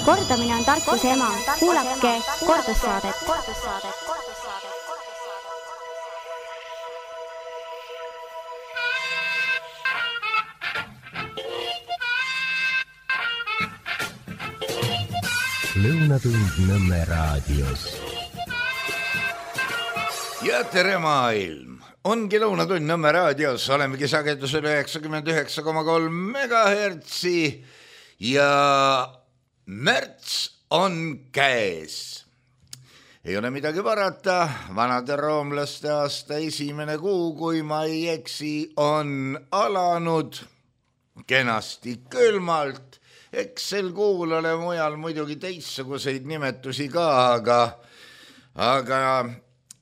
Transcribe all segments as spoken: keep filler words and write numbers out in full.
Kordamine on tarkuse ema. Kuulake kordussaadet. Lõunatund Nõmme raadios. Ja tere maailm! Ongi Lõunatund Nõmme raadios. Olemegi sagedusel üheksakümmend üheksa koma kolm megahertsi ja märts on käes. Ei ole midagi parata. Vanade roomlaste aasta esimene kuu, kui ma ei eksi, on alanud kenasti külmalt. Eks sel kuul ole mujal muidugi teistsuguseid nimetusi ka, aga, aga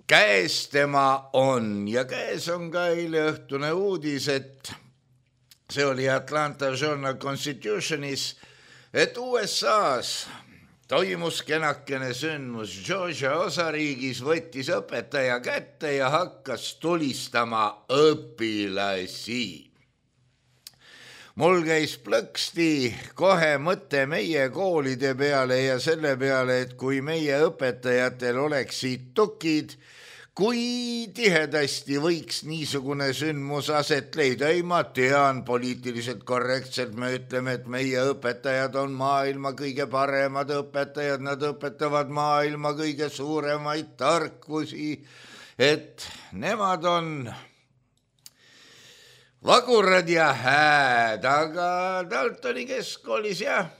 käes tema on. Ja käes on ka eile õhtune uudis, et see oli Atlanta Journal-Constitutionis, et U S A-s toimus kenakene sündmus. Georgia osariigis võttis õpetaja kätte ja hakkas tulistama õpilasi. Mul käis plõksti kohe mõte meie koolide peale ja selle peale, et kui meie õpetajatel oleksid tukid, kui tihedasti võiks niisugune sündmus aset leida. Ei, ma tean, poliitiliselt korrektselt me ütleme, et meie õpetajad on maailma kõige paremad õpetajad, nad õpetavad maailma kõige suuremaid tarkusi, et nemad on vagurad ja hääd, aga Daltoni keskkoolis jah,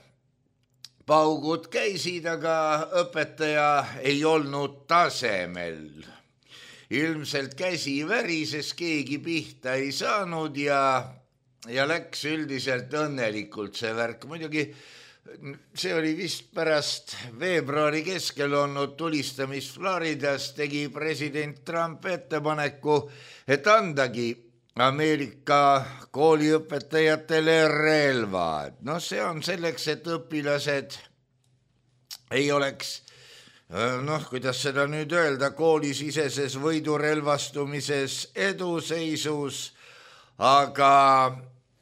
paugud käisid, aga õpetaja ei olnud tasemel. Ilmselt käsi värises, keegi pihta ei saanud ja, ja läks üldiselt õnnelikult see värk. Muidugi see oli vist pärast veebruari keskel olnud tulistamist Floridas, tegi president Trump ettepaneku, et andagi Ameerika kooliõpetajatele relvad. No see on selleks, et õpilased ei oleks, noh, kuidas seda nüüd öelda, koolisiseses võidurelvastumises eduseisus, aga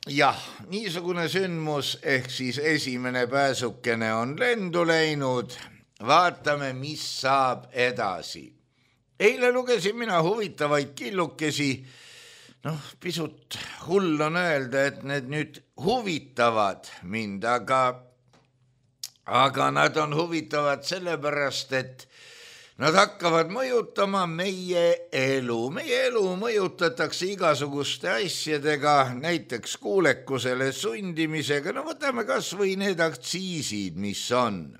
jah, niisugune sündmus ehk siis esimene pääsukene on lendu läinud. Vaatame, mis saab edasi. Eile lugesin mina huvitavaid killukesi. Noh, pisut hull on öelda, et need nüüd huvitavad mind, aga, aga nad on huvitavad sellepärast, et nad hakkavad mõjutama meie elu. Meie elu mõjutatakse igasuguste asjadega, näiteks kuulekusele sundimisega. No võtame kas või need aktsiisid, mis on.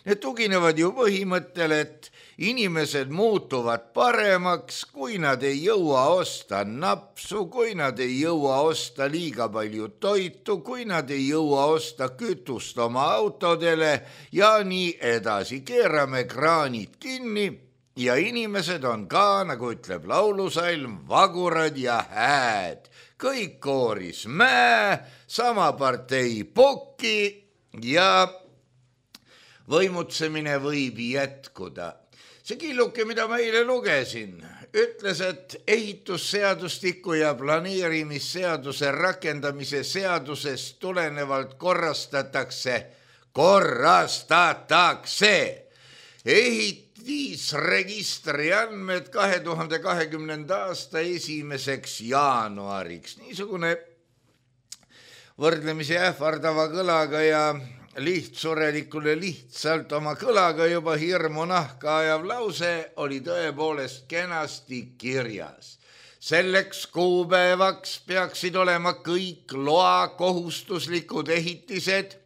Need tuginevad ju põhimõttel, et inimesed muutuvad paremaks, kui nad ei jõua osta napsu, kui nad ei jõua osta liiga palju toitu, kui nad ei jõua osta kütust oma autodele ja nii edasi. Keerame kraanid kinni ja inimesed on ka, nagu ütleb laulusalm, vagurad ja hääd. Kõik kooris mäe, sama partei pukki ja võimutsemine võib jätkuda. See killuke, mida ma eile lugesin, ütles, et ehitusseadustiku ja planeerimisseaduse rakendamise seadusest tulenevalt korrastatakse, korrastatakse ehitisregistri andmed kahe tuhande kahekümnenda aasta esimeseks jaanuariks. Niisugune võrdlemisi ähvardava kõlaga ja lihtsurelikule lihtsalt oma kõlaga juba hirmu nahka ajav lause oli tõepoolest kenasti kirjas. Selleks kuupäevaks peaksid olema kõik loa kohustuslikud ehitised,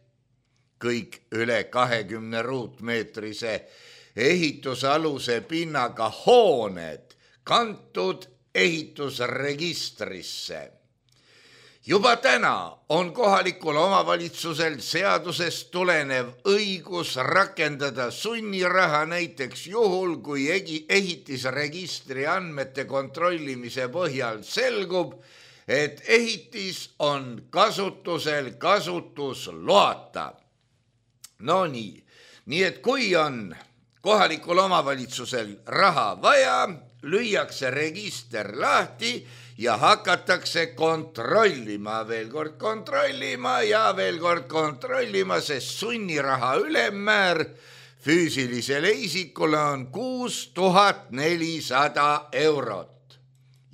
kõik üle kahekümne ruutmeetrise ehitusaluse pinnaga hooned kantud ehitusregistrisse. Juba täna on kohalikul omavalitsusel seadusest tulenev õigus rakendada sunniraha näiteks juhul, kui ehitisregistri andmete kontrollimise põhjal selgub, et ehitis on kasutusel kasutusloata. No nii, nii et kui on kohalikul omavalitsusel raha vaja, lüüakse register lahti ja hakatakse kontrollima, veel kord kontrollima ja veel kord kontrollima, sest sunniraha ülemmäär füüsilisele isikule on kuus tuhat nelisada eurot.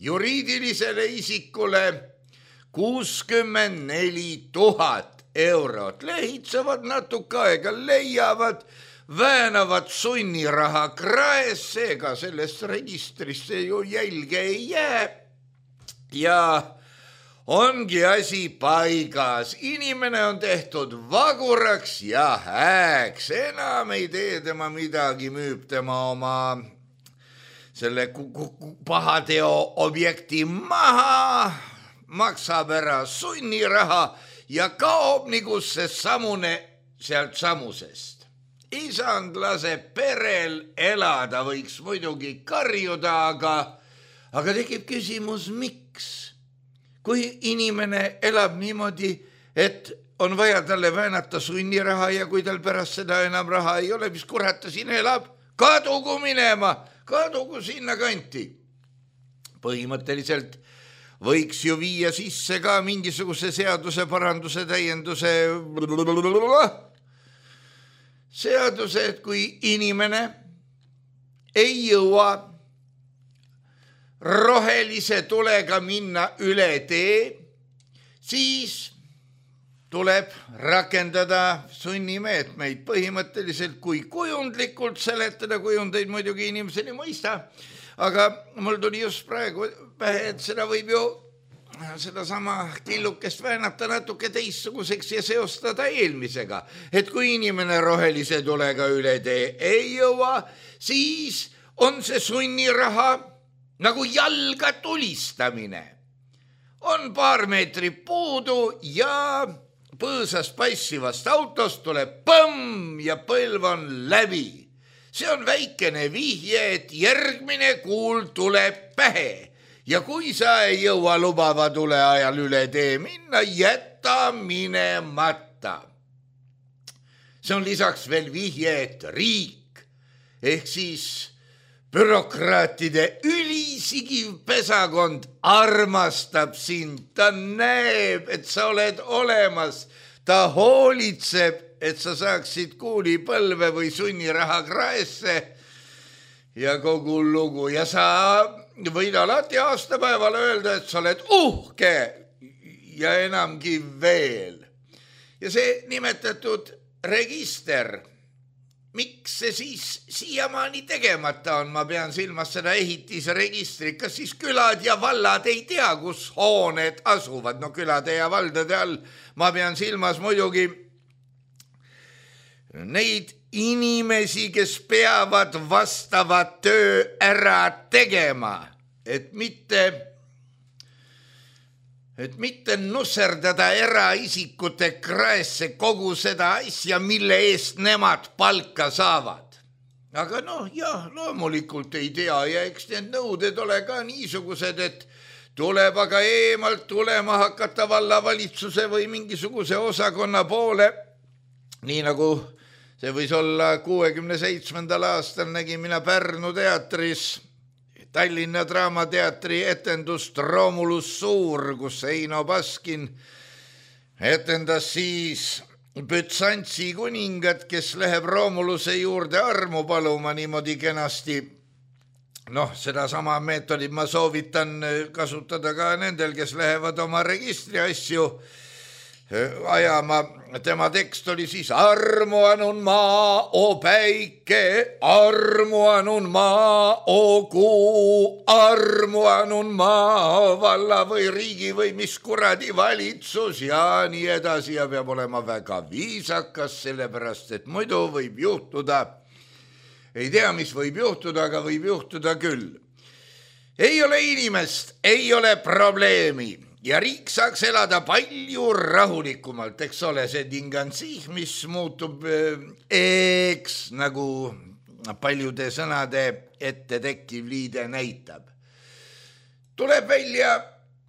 Juriidilisele isikule kuuskümmend neli tuhat eurot. Lehitsevad natuke aega, leiavad, väänavad sunniraha kraes, seega sellest registrisse ju jälge ei jää. Ja ongi asi paigas. Inimene on tehtud vaguraks ja hääks. Enam ei tee tema midagi, müüb tema oma selle pahateo objekti maha, maksab ära sunniraha ja kaob nagu see samune sealt samusest. Isand laseb perel elada, võiks muidugi karjuda, aga, aga tekib küsimus, miks? Kui inimene elab niimoodi, et on vaja talle väänata sunniraha ja kui tal pärast seda enam raha ei ole, mis kurat ta siin elab, kadugu minema, kadugu sinna kanti. Põhimõtteliselt võiks ju viia sisse ka mingisuguse seaduse paranduse täienduse seaduse, et kui inimene ei jõua rohelise tulega minna üle tee, siis tuleb rakendada sunnimeetmeid. Põhimõtteliselt kui kujundlikult seletada, kujundeid muidugi inimeseni mõista, aga mul tuli just praegu pähe, et seda võib ju seda sama killukest väänata natuke teistsuguseks ja seostada eelmisega. Et kui inimene rohelise tulega üle tee ei jõua, siis on see sunniraha nagu jalga tulistamine. On paar meetrit puudu ja põõsast paissivast autost tuleb põmm ja põlv on läbi. See on väikene vihje, et järgmine kuul tuleb pähe. Ja kui sa ei jõua lubava tule ajal üle tee minna, jäta minemata. See on lisaks veel vihje, et riik ehk siis bürokraatide ülisigiv pesakond armastab sind. Ta näeb, et sa oled olemas. Ta hoolitseb, et sa saaksid kuulipõlve või sunniraha kraesse ja kogu lugu. Ja sa võid alati aastapäeval öelda, et sa oled uhke ja enamgi veel. Ja see nimetatud register, miks see siis siiamaani tegemata on? Ma pean silmas seda ehitisregistrit. Kas siis külad ja vallad ei tea, kus hooned asuvad? No külade ja valdade all ma pean silmas muidugi neid inimesi, kes peavad vastava töö ära tegema, et mitte, et mitte nusserdada eraisikute kraesse kogu seda asja, mille eest nemad palka saavad. Aga noh, jah, loomulikult ei tea ja eks need nõuded ole ka niisugused, et tuleb aga eemalt tulema hakata vallavalitsuse või mingisuguse osakonna poole, nii nagu see võis olla kuuekümne seitsmendal aastal nägin mina Pärnu teatris Tallinna Draamateatri etendust Romulus Suur, kus Eino Baskin etendas siis Bütsantsi kuningat, kes läheb Romuluse juurde armu paluma niimoodi kenasti. Noh, seda sama meetodit ma soovitan kasutada ka nendel, kes lähevad oma registri asju ajama. Tema tekst oli siis armu anun maa, o päike, armu anun maa, o kuu, armu anun maa, valla või riigi või mis kuradi valitsus ja nii edasi ja peab olema väga viisakas, sellepärast et muidu võib juhtuda, ei tea, mis võib juhtuda, aga võib juhtuda küll. Ei ole inimest, ei ole probleemi. Ja riik saaks elada palju rahulikumalt, eks ole, see tingantsih, mis muutub eks, nagu paljude sõnade ette tekkiv liide näitab. Tuleb välja,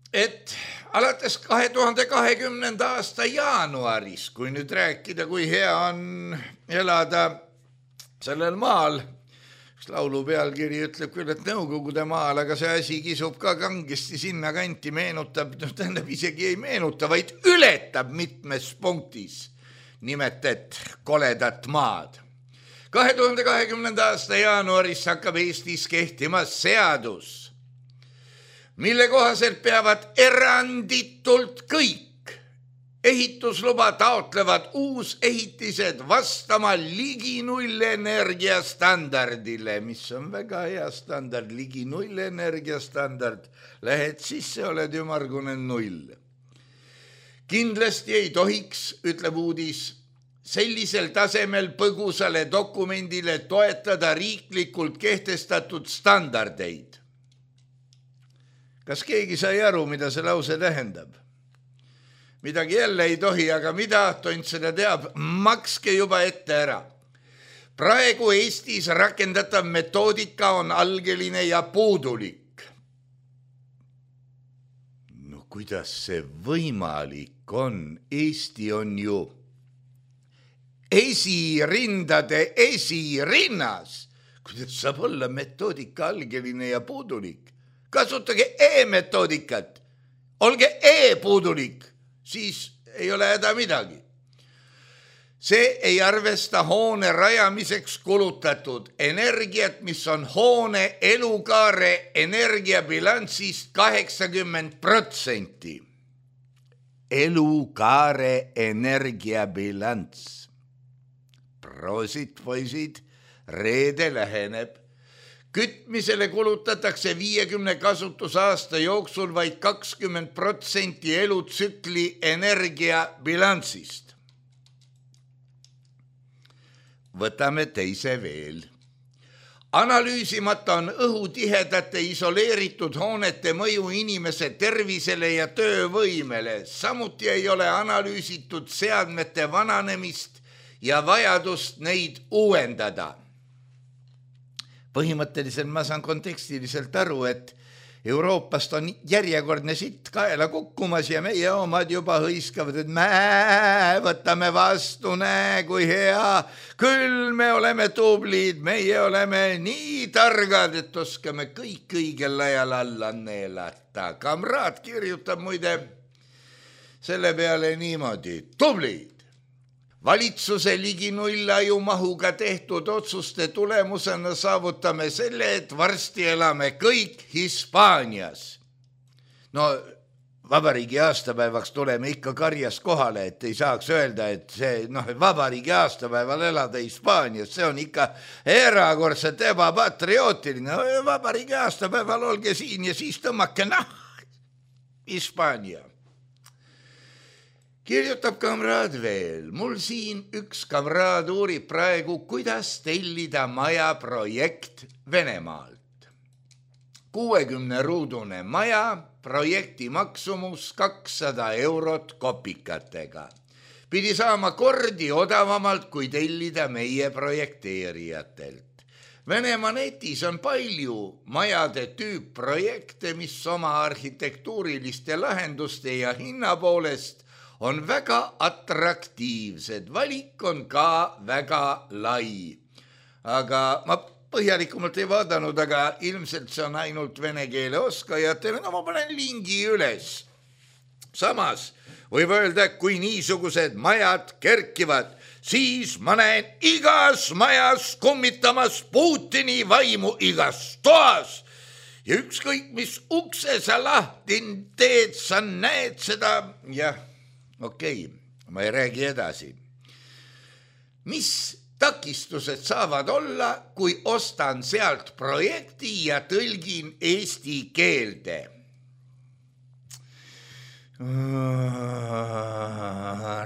et alates kahe tuhande kahekümnenda aasta jaanuaris, kui nüüd rääkida, kui hea on elada sellel maal, laulu pealkiri ütleb küll, et Nõukogude maal, aga see asi kisub ka kangesti sinna kanti, meenutab, no tähendab isegi ei meenuta, vaid ületab mitmes punktis nimetet koledat maad. kahe tuhande kahekümnenda aasta jaanuaris hakkab Eestis kehtima seadus, mille kohaselt peavad eranditult kõik ehitusluba taotlevad uusehitised vastama ligi nullenergia standardile, mis on väga hea standard, ligi nullenergia standard. Lähed sisse, oled ümargune null. Kindlasti ei tohiks, ütleb uudis, sellisel tasemel põgusale dokumendile toetada riiklikult kehtestatud standardeid. Kas keegi sai aru, mida see lause tähendab? Midagi jälle ei tohi, aga mida tont seda teab, makske juba ette ära. Praegu Eestis rakendatav metoodika on algeline ja puudulik. No kuidas see võimalik on? Eesti on ju esirindade esirinnas. Kuidas saab olla metoodika algeline ja puudulik? Kasutage e-metoodikat, olge e-puudulik, siis ei ole häda midagi. See ei arvesta hoone rajamiseks kulutatud energiat, mis on hoone elukaare energiabilansist kaheksakümmend protsenti. Elukaare energiabilants. Proosit, poisid, reede läheneb. Kütmisele kulutatakse viiekümne kasutusaasta jooksul vaid kakskümmend protsenti elutsükli energiabilansist. Võtame teise veel. Analüüsimata on õhutihedate isoleeritud hoonete mõju inimese tervisele ja töövõimele. Samuti ei ole analüüsitud seadmete vananemist ja vajadust neid uuendada. Põhimõtteliselt ma saan kontekstiliselt aru, et Euroopast on järjekordne sitt kaela kukkumas ja meie omad juba hõiskavad, et me võtame vastu, näe kui hea, küll me oleme tublid, meie oleme nii targad, et oskame kõik õigel ajal alla neelata. Kamraad kirjutab muide selle peale niimoodi, tublid. Valitsuse ligi nullajumahuga tehtud otsuste tulemusena saavutame selle, et varsti elame kõik Hispaanias. No vabariigi aastapäevaks tuleme ikka karjas kohale, et ei saaks öelda, et see noh, vabariigi aastapäeval elada Hispaanias, see on ikka erakordselt ebapatriootiline. Vabariigi aastapäeval olge siin ja siis tõmmake, noh, Hispaania. Kirjutab kamraad veel. Mul siin üks kamraad uurib praegu, kuidas tellida maja projekt Venemaalt. kuuekümne ruudune maja, projekti maksumus kakssada eurot kopikatega. Pidi saama kordi odavamalt, kui tellida meie projekteerijatelt. Venemaa netis on palju majade tüüpprojekte, mis oma arhitektuuriliste lahenduste ja hinna poolest on väga atraktiivsed. Valik on ka väga lai. Aga ma põhjalikumalt ei vaadanud, aga ilmselt see on ainult vene keele oskajatele. No ma panen lingi üles. Samas võib öelda, et kui niisugused majad kerkivad, siis ma näen igas majas kummitamas Putini vaimu igas toas. Ja ükskõik, mis ukse sa lahti teed, sa näed seda, jah, okei, okay, ma ei räägi edasi. Mis takistused saavad olla, kui ostan sealt projekti ja tõlgin eesti keelde?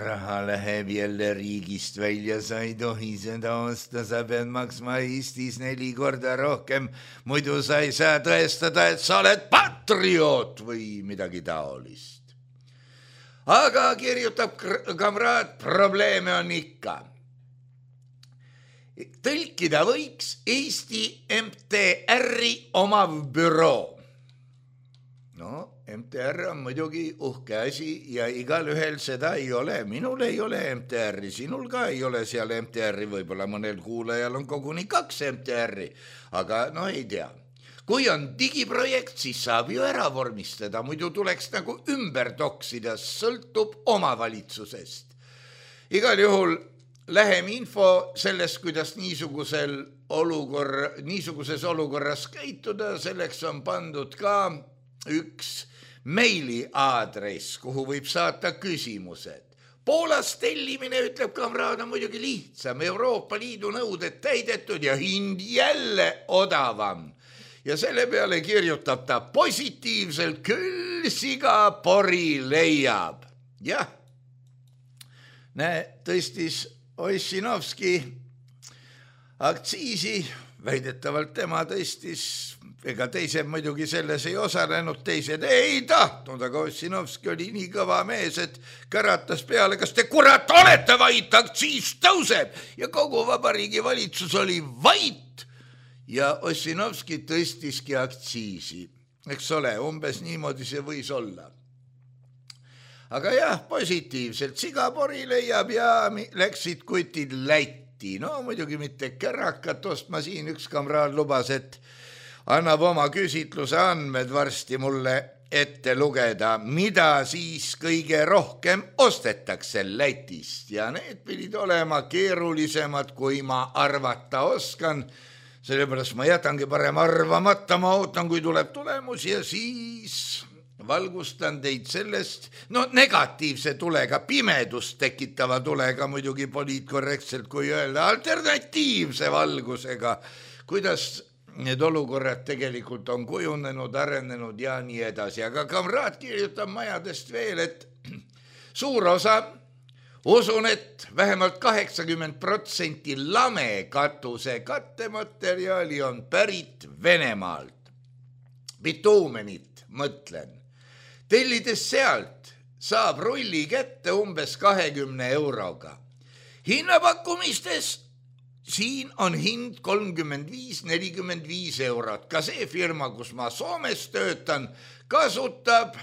Raha läheb jälle riigist välja, sa ei tohi seda osta, sa pead maksma Eestis neli korda rohkem, muidu sa ei saa tõestada, et sa oled patrioot või midagi taolist. Aga kirjutab kamraad, probleeme on ikka. Tõlkida võiks Eesti M T R-i omav büroo. No, M T R on muidugi uhke asi ja igal ühel seda ei ole. Minul ei ole M T R-i, sinul ka ei ole seal M T R-i, võib-olla mõnel kuulajal on koguni kaks M T R-i, aga no ei tea. Kui on digiprojekt, siis saab ju ära vormistada, muidu tuleks nagu ümber toksida, sõltub omavalitsusest. Igal juhul lähem info sellest, kuidas niisugusel olukorra, niisuguses olukorras käituda, selleks on pandud ka üks meili aadress, kuhu võib saata küsimused. Poolas tellimine, ütleb kamraad, on muidugi lihtsam, Euroopa Liidu nõuded täidetud ja hind jälle odavam. Ja selle peale kirjutab ta positiivselt, küll siga pori leiab. Jah, näe, tõstis Ossinovski aktsiisi, väidetavalt tema tõstis, ega teised muidugi selles ei osalenud, teised ei tahtnud, aga Ossinovski oli nii kõva mees, et käratas peale, kas te kurat olete vait, aktsiis tõuseb ja kogu vabariigi valitsus oli vait ja Ossinovski tõstiski aktsiisi. Eks ole, umbes niimoodi see võis olla. Aga jah, positiivselt sigapori leiab ja läksid kutid Lätti. No muidugi mitte kärakat ostma, siin üks kamraad lubas, et annab oma küsitluse andmed varsti mulle ette lugeda, mida siis kõige rohkem ostetakse Lätist. Ja need pidid olema keerulisemad, kui ma arvata oskan. Sellepärast ma jätangi parem arvamata, ma ootan, kui tuleb tulemus ja siis valgustan teid sellest, no negatiivse tulega, pimedust tekitava tulega, muidugi poliitkorrektselt, kui öelda, alternatiivse valgusega, kuidas need olukorrad tegelikult on kujunenud, arenenud ja nii edasi. Aga kamraad kirjutab majadest veel, et suur osa, usun, et vähemalt kaheksakümmend protsenti lame katuse kattematerjali on pärit Venemaalt. Bituumenit, mõtlen. Tellides sealt saab rulli kätte umbes kahekümne euroga. Hinnapakkumistes siin on hind kolmkümmend viis nelikümmend viis eurot. Ka see firma, kus ma Soomes töötan, kasutab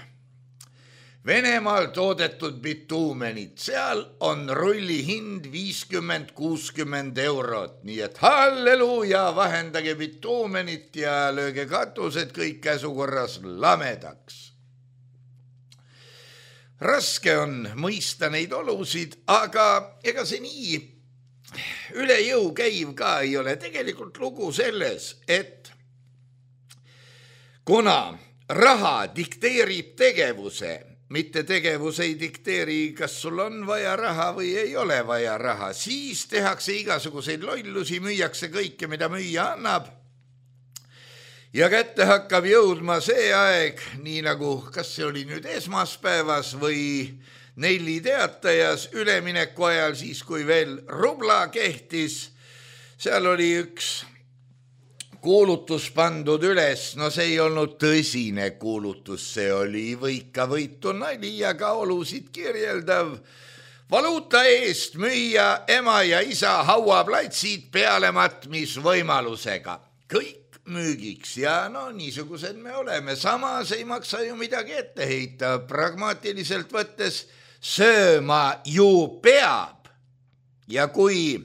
Venemaal toodetud bituumenit. Seal on rulli hind viiskümmend kuuskümmend eurot. Nii et halleluuja, vahendage bituumenit ja lööge katused kõik käsukorras lamedaks. Raske on mõista neid olusid, aga ega see nii üle jõu käiv ka ei ole. Tegelikult lugu selles, et kuna raha dikteerib tegevuse, mitte tegevus ei dikteeri, kas sul on vaja raha või ei ole vaja raha, siis tehakse igasuguseid lollusi, müüakse kõike, mida müüa annab. Ja kätte hakkab jõudma see aeg, nii nagu, kas see oli nüüd esmaspäevas või Nelli teatajas ülemineku ajal, siis kui veel rubla kehtis, seal oli üks kuulutus pandud üles, no see ei olnud tõsine kuulutus, see oli võika võitu nali ja ka olusid kirjeldav. Valuuta eest müüa ema ja isa hauaplatsid pealematmisvõimalusega. Kõik müügiks ja no niisugused me oleme. Samas ei maksa ju midagi ette heita, pragmaatiliselt võttes sööma ju peab. Ja kui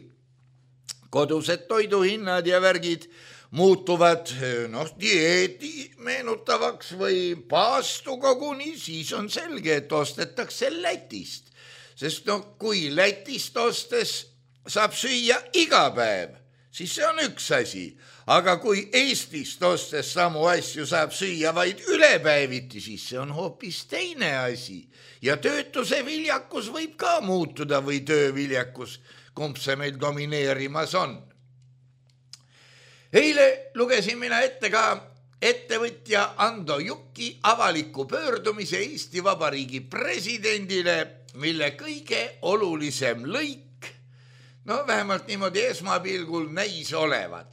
kodused toiduhinnad ja värgid muutuvad noh, dieedi meenutavaks või paastu koguni, siis on selge, et ostetakse Lätist. Sest no kui Lätist ostes saab süüa iga päev, siis see on üks asi. Aga kui Eestist ostes samu asju saab süüa vaid ülepäeviti, siis see on hoopis teine asi. Ja töötuse viljakus võib ka muutuda või tööviljakus, kumb see meil domineerimas on. Eile lugesin mina ette ka ettevõtja Ando Juki avaliku pöördumise Eesti Vabariigi presidendile, mille kõige olulisem lõik, no vähemalt niimoodi esmapilgul näis olevat.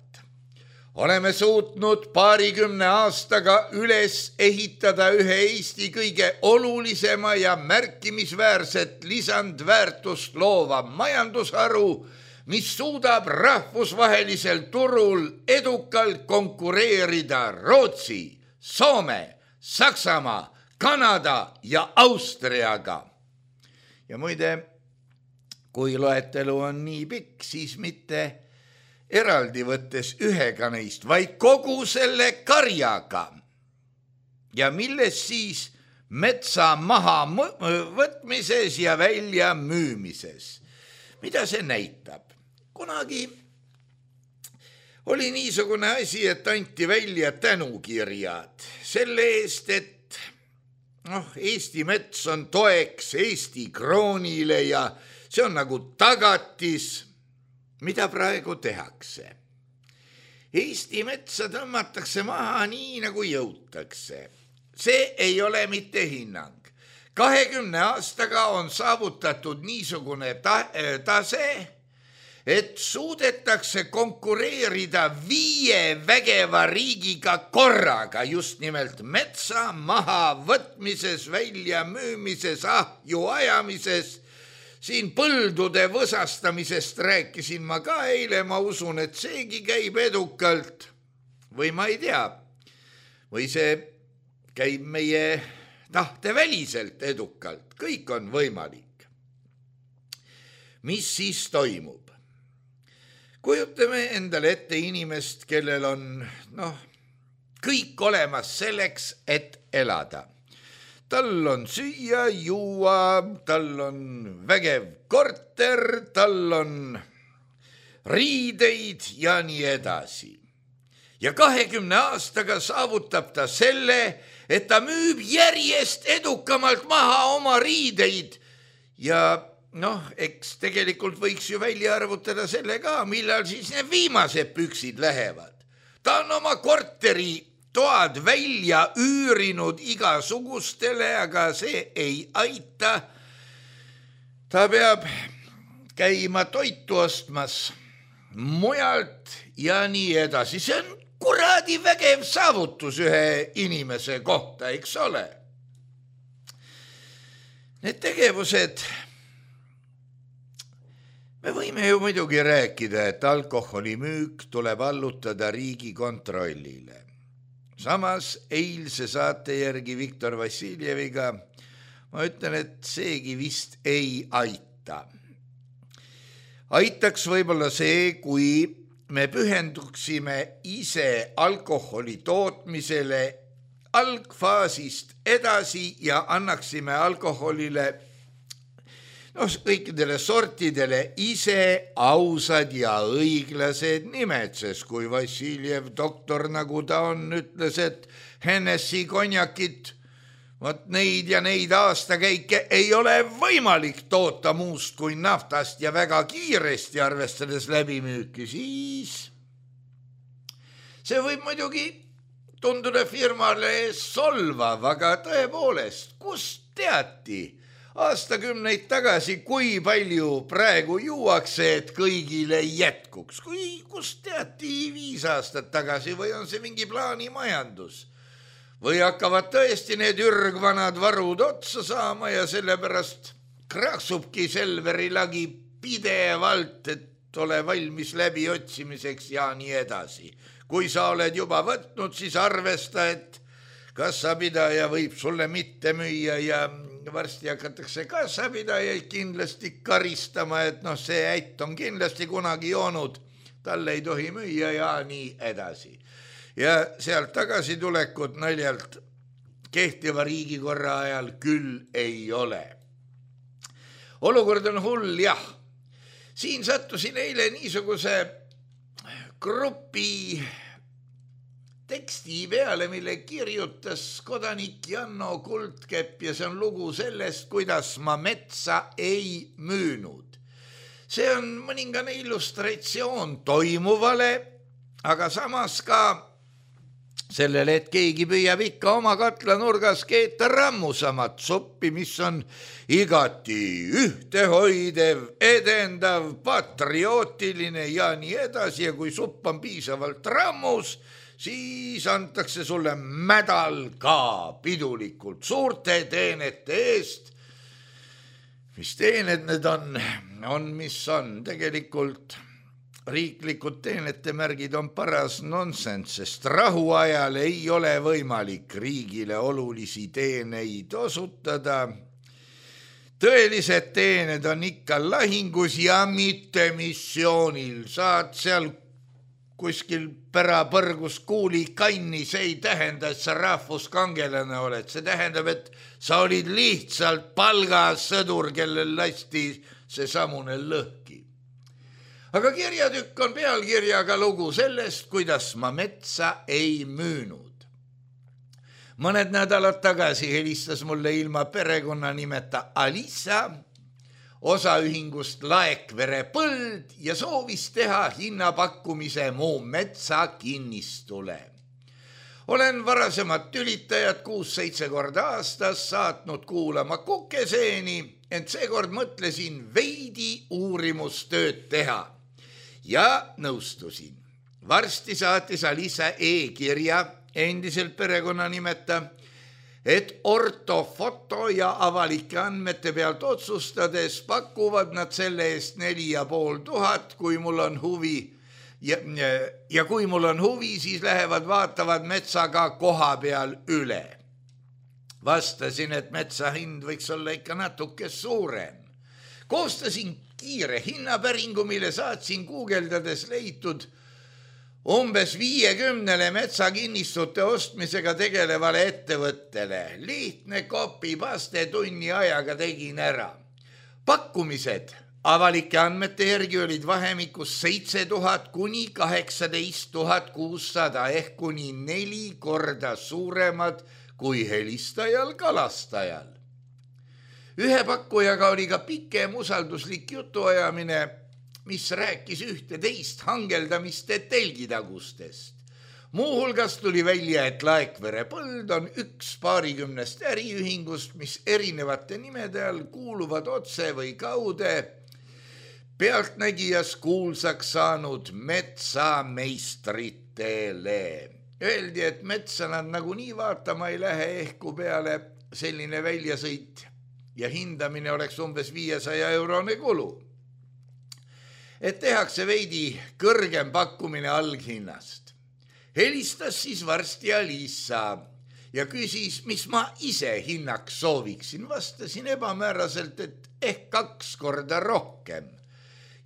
Oleme suutnud paarikümne aastaga üles ehitada ühe Eesti kõige olulisema ja märkimisväärset lisandväärtust loova majandusharu, mis suudab rahvusvahelisel turul edukalt konkureerida Rootsi, Soome, Saksamaa, Kanada ja Austriaga. Ja muide, kui loetelu on nii pikk, siis mitte eraldi võttes ühega neist, vaid kogu selle karjaga. Ja milles siis metsa maha võtmises ja välja müümises. Mida see näitab? Kunagi oli niisugune asi, et anti välja tänukirjad selle eest, et noh, Eesti mets on toeks Eesti kroonile ja see on nagu tagatis, mida praegu tehakse. Eesti metsa tõmmatakse maha nii, nagu jõutakse. See ei ole mitte hinnang. kahekümne aastaga on saavutatud niisugune ta- tase, et suudetakse konkureerida viie vägeva riigiga korraga, just nimelt metsa maha võtmises, välja müümises, ahju ajamises. Siin põldude võsastamisest rääkisin ma ka eile, ma usun, et seegi käib edukalt. Või ma ei tea, või see käib meie tahteväliselt edukalt, kõik on võimalik. Mis siis toimub? Kujutame endale ette inimest, kellel on noh, kõik olemas selleks, et elada. Tal on süüa, juua, tal on vägev korter, tal on riideid ja nii edasi. Ja kahekümne aastaga saavutab ta selle, et ta müüb järjest edukamalt maha oma riideid. Ja noh, eks tegelikult võiks ju välja arvutada selle ka, millal siis need viimased püksid lähevad. Ta on oma korteri toad välja üürinud igasugustele, aga see ei aita. Ta peab käima toitu ostmas mujalt ja nii edasi. See on kuradi vägev saavutus ühe inimese kohta, eks ole. Need tegevused, me võime ju muidugi rääkida, et alkoholimüük tuleb allutada riigi kontrollile. Samas eilse saate järgi Viktor Vassiljeviga ma ütlen, et seegi vist ei aita. Aitaks võib-olla see, kui me pühenduksime ise alkoholi tootmisele algfaasist edasi ja annaksime alkoholile no, kõikidele sortidele ise ausad ja õiglased nimed, sest kui Vassiljev doktor, nagu ta on, ütles, et Hennessy konjakit, vot neid ja neid aastakäike ei ole võimalik toota muust kui naftast ja väga kiiresti arvestades läbimüüki, siis see võib muidugi tunduda firmale solvav, aga tõepoolest, kust teati aastakümneid tagasi, kui palju praegu juuakse, et kõigile jätkuks? Kui, kust teati viis aastat tagasi või on see mingi plaanimajandus? Või hakkavad tõesti need ürgvanad varud otsa saama ja sellepärast kraksubki Selveri lagi pidevalt, et ole valmis läbi otsimiseks ja nii edasi. Kui sa oled juba võtnud, siis arvesta, et kassapidaja võib sulle mitte müüa ja varsti hakatakse kassapidajaid kindlasti karistama, et noh, see ätt on kindlasti kunagi joonud, talle ei tohi müüa ja nii edasi. Ja sealt tagasi tulekut naljalt kehtiva riigikorra ajal küll ei ole. Olukord on hull, jah. Siin sattusin eile niisuguse grupi teksti peale, mille kirjutas kodanik Janno Kuldkepp ja see on lugu sellest, kuidas ma metsa ei müünud. See on mõningane illustratsioon toimuvale, aga samas ka sellele, et keegi püüab ikka oma katlanurgas keeta rammusamat suppi, mis on igati ühtehoidev, edendav, patriootiline ja nii edasi ja kui supp on piisavalt rammus, siis antakse sulle mädal ka pidulikult suurte teenete eest. Mis teened need on, on mis on tegelikult riiklikud teenetemärgid on paras nonsense, sest rahuajal ei ole võimalik riigile olulisi teeneid osutada. Tõelised teened on ikka lahingus ja mitte missioonil. Saad seal kuskil pärapõrgus kuuli kanni, see ei tähenda, et sa rahvuskangelane oled. See tähendab, et sa olid lihtsalt palgasõdur, kellel lasti see samune lõhki. Aga kirjatükk on pealkirjaga lugu sellest, kuidas ma metsa ei müünud. Mõned nädalad tagasi helistas mulle ilma perekonna nimeta Alisa osaühingust Laekvere Põld ja soovis teha hinnapakkumise mu metsa kinnistule. Olen varasemad tülitajad kuus-seitse korda aastas saatnud kuulama kukeseeni, ent seekord mõtlesin veidi uurimustööd teha ja nõustusin. Varsti saatis Alisa e-kirja endiselt perekonna nimeta, et ortofoto ja avalike andmete pealt otsustades pakuvad nad selle eest neli ja pool tuhat, kui mul on huvi ja, ja kui mul on huvi, siis lähevad vaatavad metsaga koha peal üle. Vastasin, et metsa hind võiks olla ikka natuke suurem. Koostasin kiire hinnapäringu, mille saatsin guugeldades leitud umbes viiekümnele metsakinnistute ostmisega tegelevale ettevõttele. Lihtne kopi-paste tunni ajaga tegin ära. Pakkumised avalike andmete järgi olid vahemikus seitse tuhat kuni kaheksateist tuhat kuussada ehk kuni neli korda suuremad kui helistajal kalastajal. Ühe pakkujaga oli ka pikem usalduslik jutuajamine, mis rääkis ühte teist hangeldamiste telgitagustest. Muuhulgas tuli välja, et Laekvere Põld on üks paarikümnest äriühingust, mis erinevate nimede all kuuluvad otse või kaude pealtnägijas kuulsaks saanud metsameistritele. Öeldi, et metsa nad nagunii vaatama ei lähe ehku peale selline väljasõit ja hindamine oleks umbes viiesaja eurone kulu. Et tehakse veidi kõrgem pakkumine alghinnast. Helistas siis varsti Alisa ja küsis, mis ma ise hinnaks sooviksin. Vastasin ebamääraselt, et ehk kaks korda rohkem.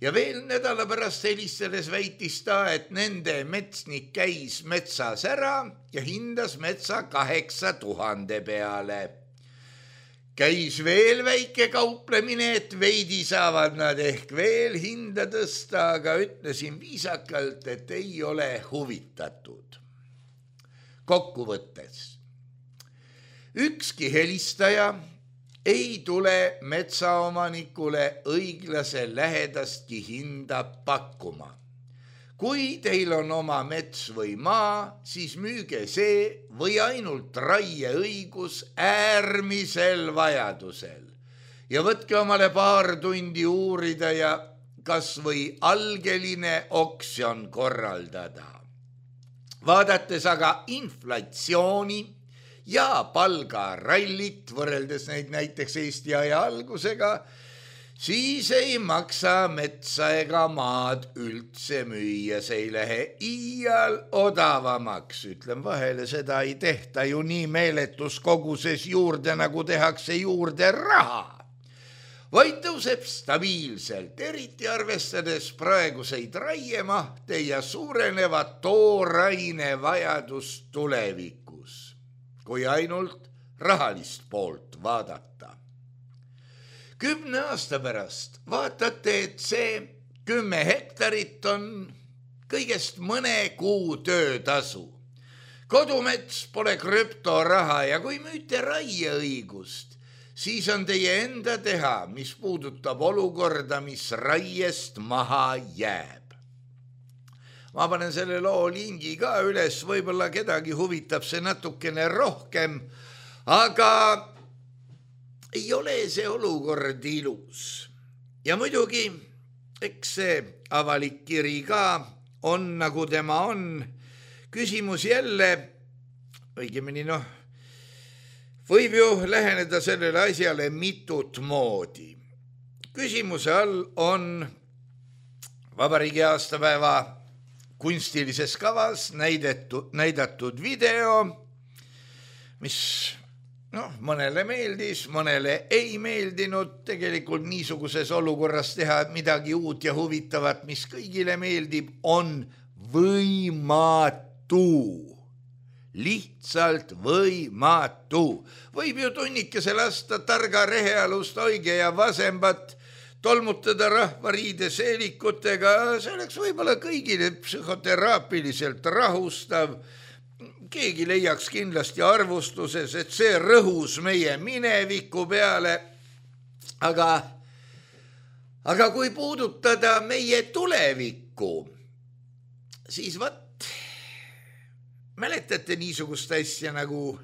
Ja veel nädala pärast helistades väitis ta, et nende metsnik käis metsas ära ja hindas metsa kaheksa tuhande peale. Käis veel väike kauplemine, et veidi saavad nad ehk veel hinda tõsta, aga ütlesin viisakalt, et ei ole huvitatud. Kokkuvõttes. Ükski helistaja ei tule metsaomanikule õiglase lähedastki hinda pakkuma. Kui teil on oma mets või maa, siis müüge see või ainult raieõigus äärmisel vajadusel. Ja võtke omale paar tundi uurida ja kas või algeline oksjon korraldada. Vaadates aga inflatsiooni ja palgarallit, võrreldes neid näiteks Eesti aja algusega, siis ei maksa metsa ega maad üldse müüa, see ei lähe iial odavamaks. Ütlen vahele, seda ei tehta ju nii meeletus koguses juurde, nagu tehakse juurde raha. Vaid tõuseb stabiilselt, eriti arvestades praeguseid raiemahte ja suurenevat tooraine vajadust tulevikus, kui ainult rahalist poolt vaadata. Kümne aasta pärast vaatate, et see kümme hektarit on kõigest mõne kuu töötasu. Kodumets pole krüptoraha ja kui müüte raieõigust, siis on teie enda teha, mis puudutab olukorda, mis raiest maha jääb. Ma panen selle loo lingi ka üles, võib-olla kedagi huvitab see natukene rohkem, aga ei ole see olukord ilus. Ja muidugi, eks see avalik kiri ka on, nagu tema on. Küsimus jälle, õigemini noh, võib ju läheneda sellele asjale mitut moodi. Küsimuse all on vabariigi aastapäeva kunstilises kavas näidatud, näidatud video, mis noh, mõnele meeldis, mõnele ei meeldinud. Tegelikult niisuguses olukorras teha midagi uut ja huvitavat, mis kõigile meeldib, on võimatu. Lihtsalt võimatu. Võib ju tunnikese lasta targa rehealust oige ja vasembat, tolmutada rahvariide seelikutega, see oleks võib-olla kõigile psühhoteraapiliselt rahustav. Keegi leiaks kindlasti arvustuses, et see rõhus meie mineviku peale, aga, aga kui puudutada meie tulevikku, siis võt, mäletate niisugust asja nagu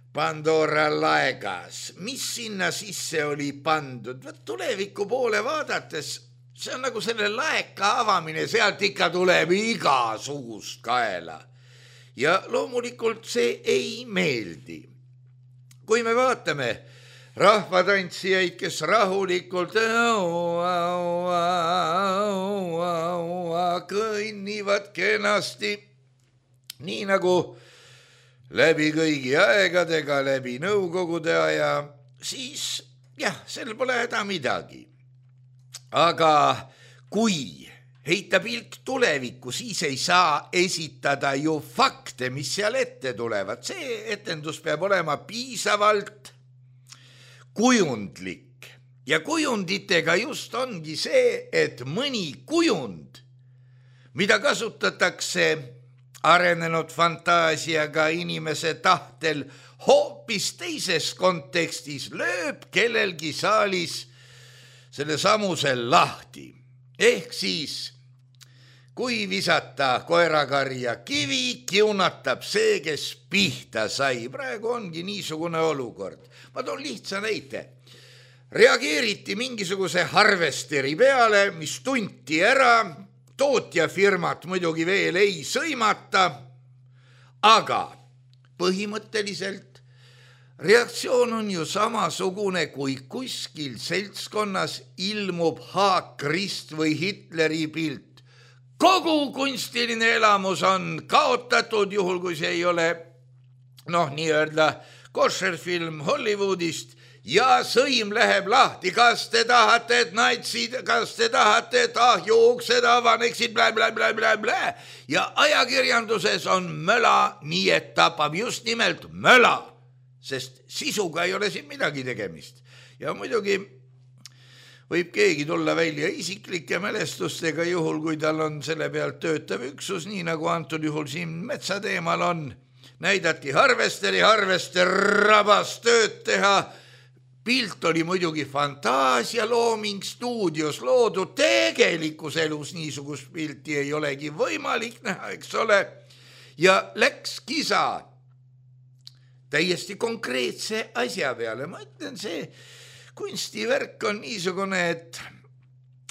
Pandora laegas, mis sinna sisse oli pandud? Võt tuleviku poole vaadates, see on nagu selle laeka avamine, sealt ikka tuleb igasugust kaela. Ja loomulikult see ei meeldi. Kui me vaatame rahvatantsijaid, kes rahulikult kõnnivad kenasti, nii nagu läbi kõigi aegadega, läbi nõukogude aja, siis jah, sel pole häda midagi. Aga kui heita pilk tulevikku, siis ei saa esitada ju fakte, mis seal ette tulevad. See etendus peab olema piisavalt kujundlik. Ja kujunditega just ongi see, et mõni kujund, mida kasutatakse arenenud fantaasiaga inimese tahtel hoopis teises kontekstis, lööb kellelgi saalis selle samusel lahti. Ehk siis, kui visata koerakarja kivi, kiunatab see, kes pihta sai. Praegu ongi niisugune olukord. Ma toon lihtsa näite. Reageeriti mingisuguse harvesteri peale, mis tunti ära, tootjafirmat muidugi veel ei sõimata, aga põhimõtteliselt reaktsioon on ju samasugune, kui kuskil seltskonnas ilmub haakrist või Hitleri pilt. Kogu kunstiline elamus on kaotatud, juhul kui see ei ole noh, nii-öelda košerfilm Hollywoodist, ja sõim läheb lahti, kas te tahate, et natsid, kas te tahate, et ahjuuksed avaneksid, blä, blä, blä, blä, blä. Ja ajakirjanduses on möla, nii et tapab just nimelt möla, sest sisuga ei ole siin midagi tegemist. Ja muidugi võib keegi tulla välja isiklike mälestustega juhul, kui tal on selle pealt töötav üksus, nii nagu antud juhul siin metsateemal on. Näidati harvesteri, harvester rabas tööd teha. Pilt oli muidugi fantaasia looming stuudios loodud, tegelikus elus niisugust pilti ei olegi võimalik näha, eks ole. Ja läks kisa täiesti konkreetse asja peale. Ma ütlen, see kunstivärk on niisugune, et,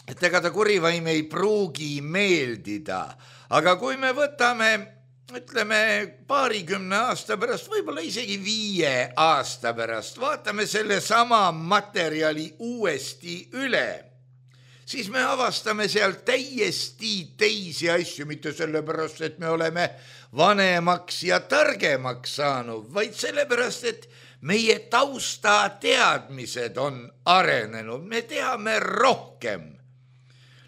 et ega ta kurivaim ei pruugi meeldida. Aga kui me võtame, ütleme, paarikümne aasta pärast, võib-olla isegi viie aasta pärast, vaatame selle sama materjali uuesti üle, siis me avastame seal täiesti teisi asju, mitte sellepärast, et me oleme vanemaks ja targemaks saanud, vaid sellepärast, et meie taustateadmised on arenenud, me teame rohkem.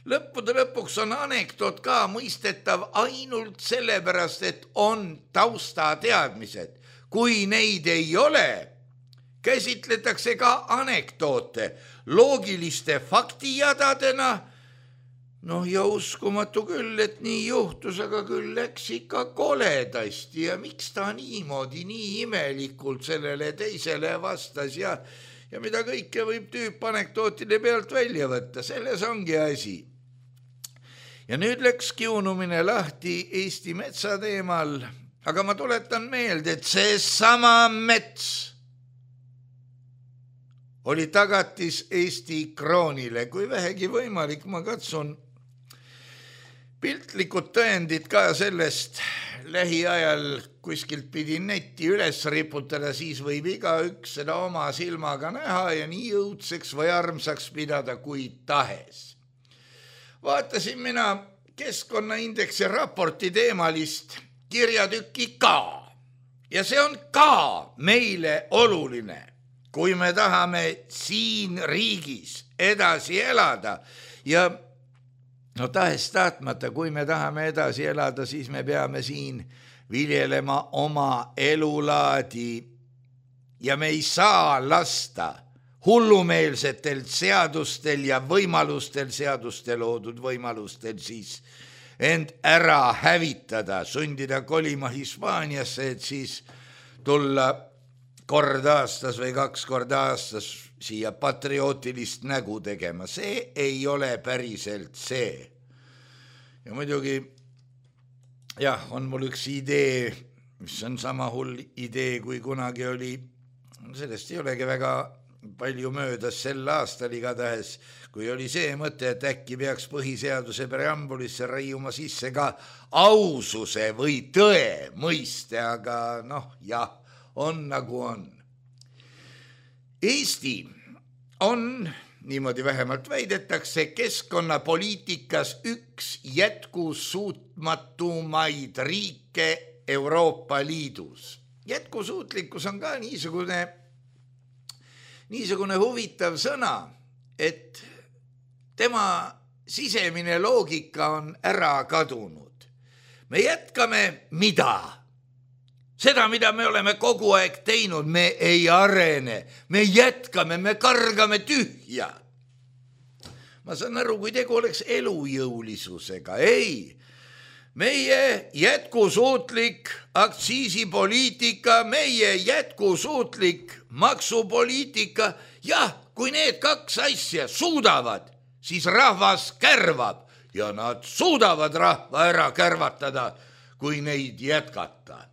Lõppude lõpuks on anekdoot ka mõistetav ainult sellepärast, et on taustateadmised. Kui neid ei ole, käsitletakse ka anekdoote loogiliste faktijadadena. Noh, ja uskumatu küll, et nii juhtus, aga küll läks ikka koledasti ja miks ta niimoodi nii imelikult sellele teisele vastas ja, ja mida kõike võib tüüp anekdootide pealt välja võtta, selles ongi asi. Ja nüüd läks kiunumine lahti Eesti metsa teemal, aga ma tuletan meelde, et see sama mets oli tagatis Eesti kroonile. Kui vähegi võimalik, ma katsun piltlikud tõendid ka sellest lähiajal kuskilt pidi netti üles riputada, siis võib igaüks seda oma silmaga näha ja nii õudseks või armsaks pidada kui tahes. vaatasin mina keskkonnaindeksi raporti teemalist kirjatükki ka. Ja see on ka meile oluline, kui me tahame siin riigis edasi elada. Ja no tahes tahtmata, kui me tahame edasi elada, siis me peame siin viljelema oma elulaadi ja me ei saa lasta hullumeelsetel seadustel ja võimalustel, seaduste loodud võimalustel siis end ära hävitada, sundida kolima Hispaaniasse, et siis tulla kord aastas või kaks korda aastas siia patriootilist nägu tegema. See ei ole päriselt see. Ja muidugi, jah, on mul üks idee, mis on sama hull idee, kui kunagi oli. Sellest ei olegi väga palju möödas sel aastal igatahes, kui oli see mõte, et äkki peaks põhiseaduse preambulisse raiuma sisse ka aususe või tõe mõiste, aga noh, jah, on nagu on. Eesti on, niimoodi vähemalt väidetakse, keskkonnapoliitikas üks jätkusuutmatumaid riike Euroopa Liidus. Jätkusuutlikkus on ka niisugune, niisugune huvitav sõna, et tema sisemine loogika on ära kadunud. Me jätkame mida? Seda, mida me oleme kogu aeg teinud, me ei arene, me jätkame, me kargame tühja. Ma saan aru, kui tegu oleks elujõulisusega. Ei, meie jätkusuutlik aktsiisipoliitika, meie jätkusuutlik maksupoliitika, jah, kui need kaks asja suudavad, siis rahvas kärvab ja nad suudavad rahva ära kärvatada, kui neid jätkata.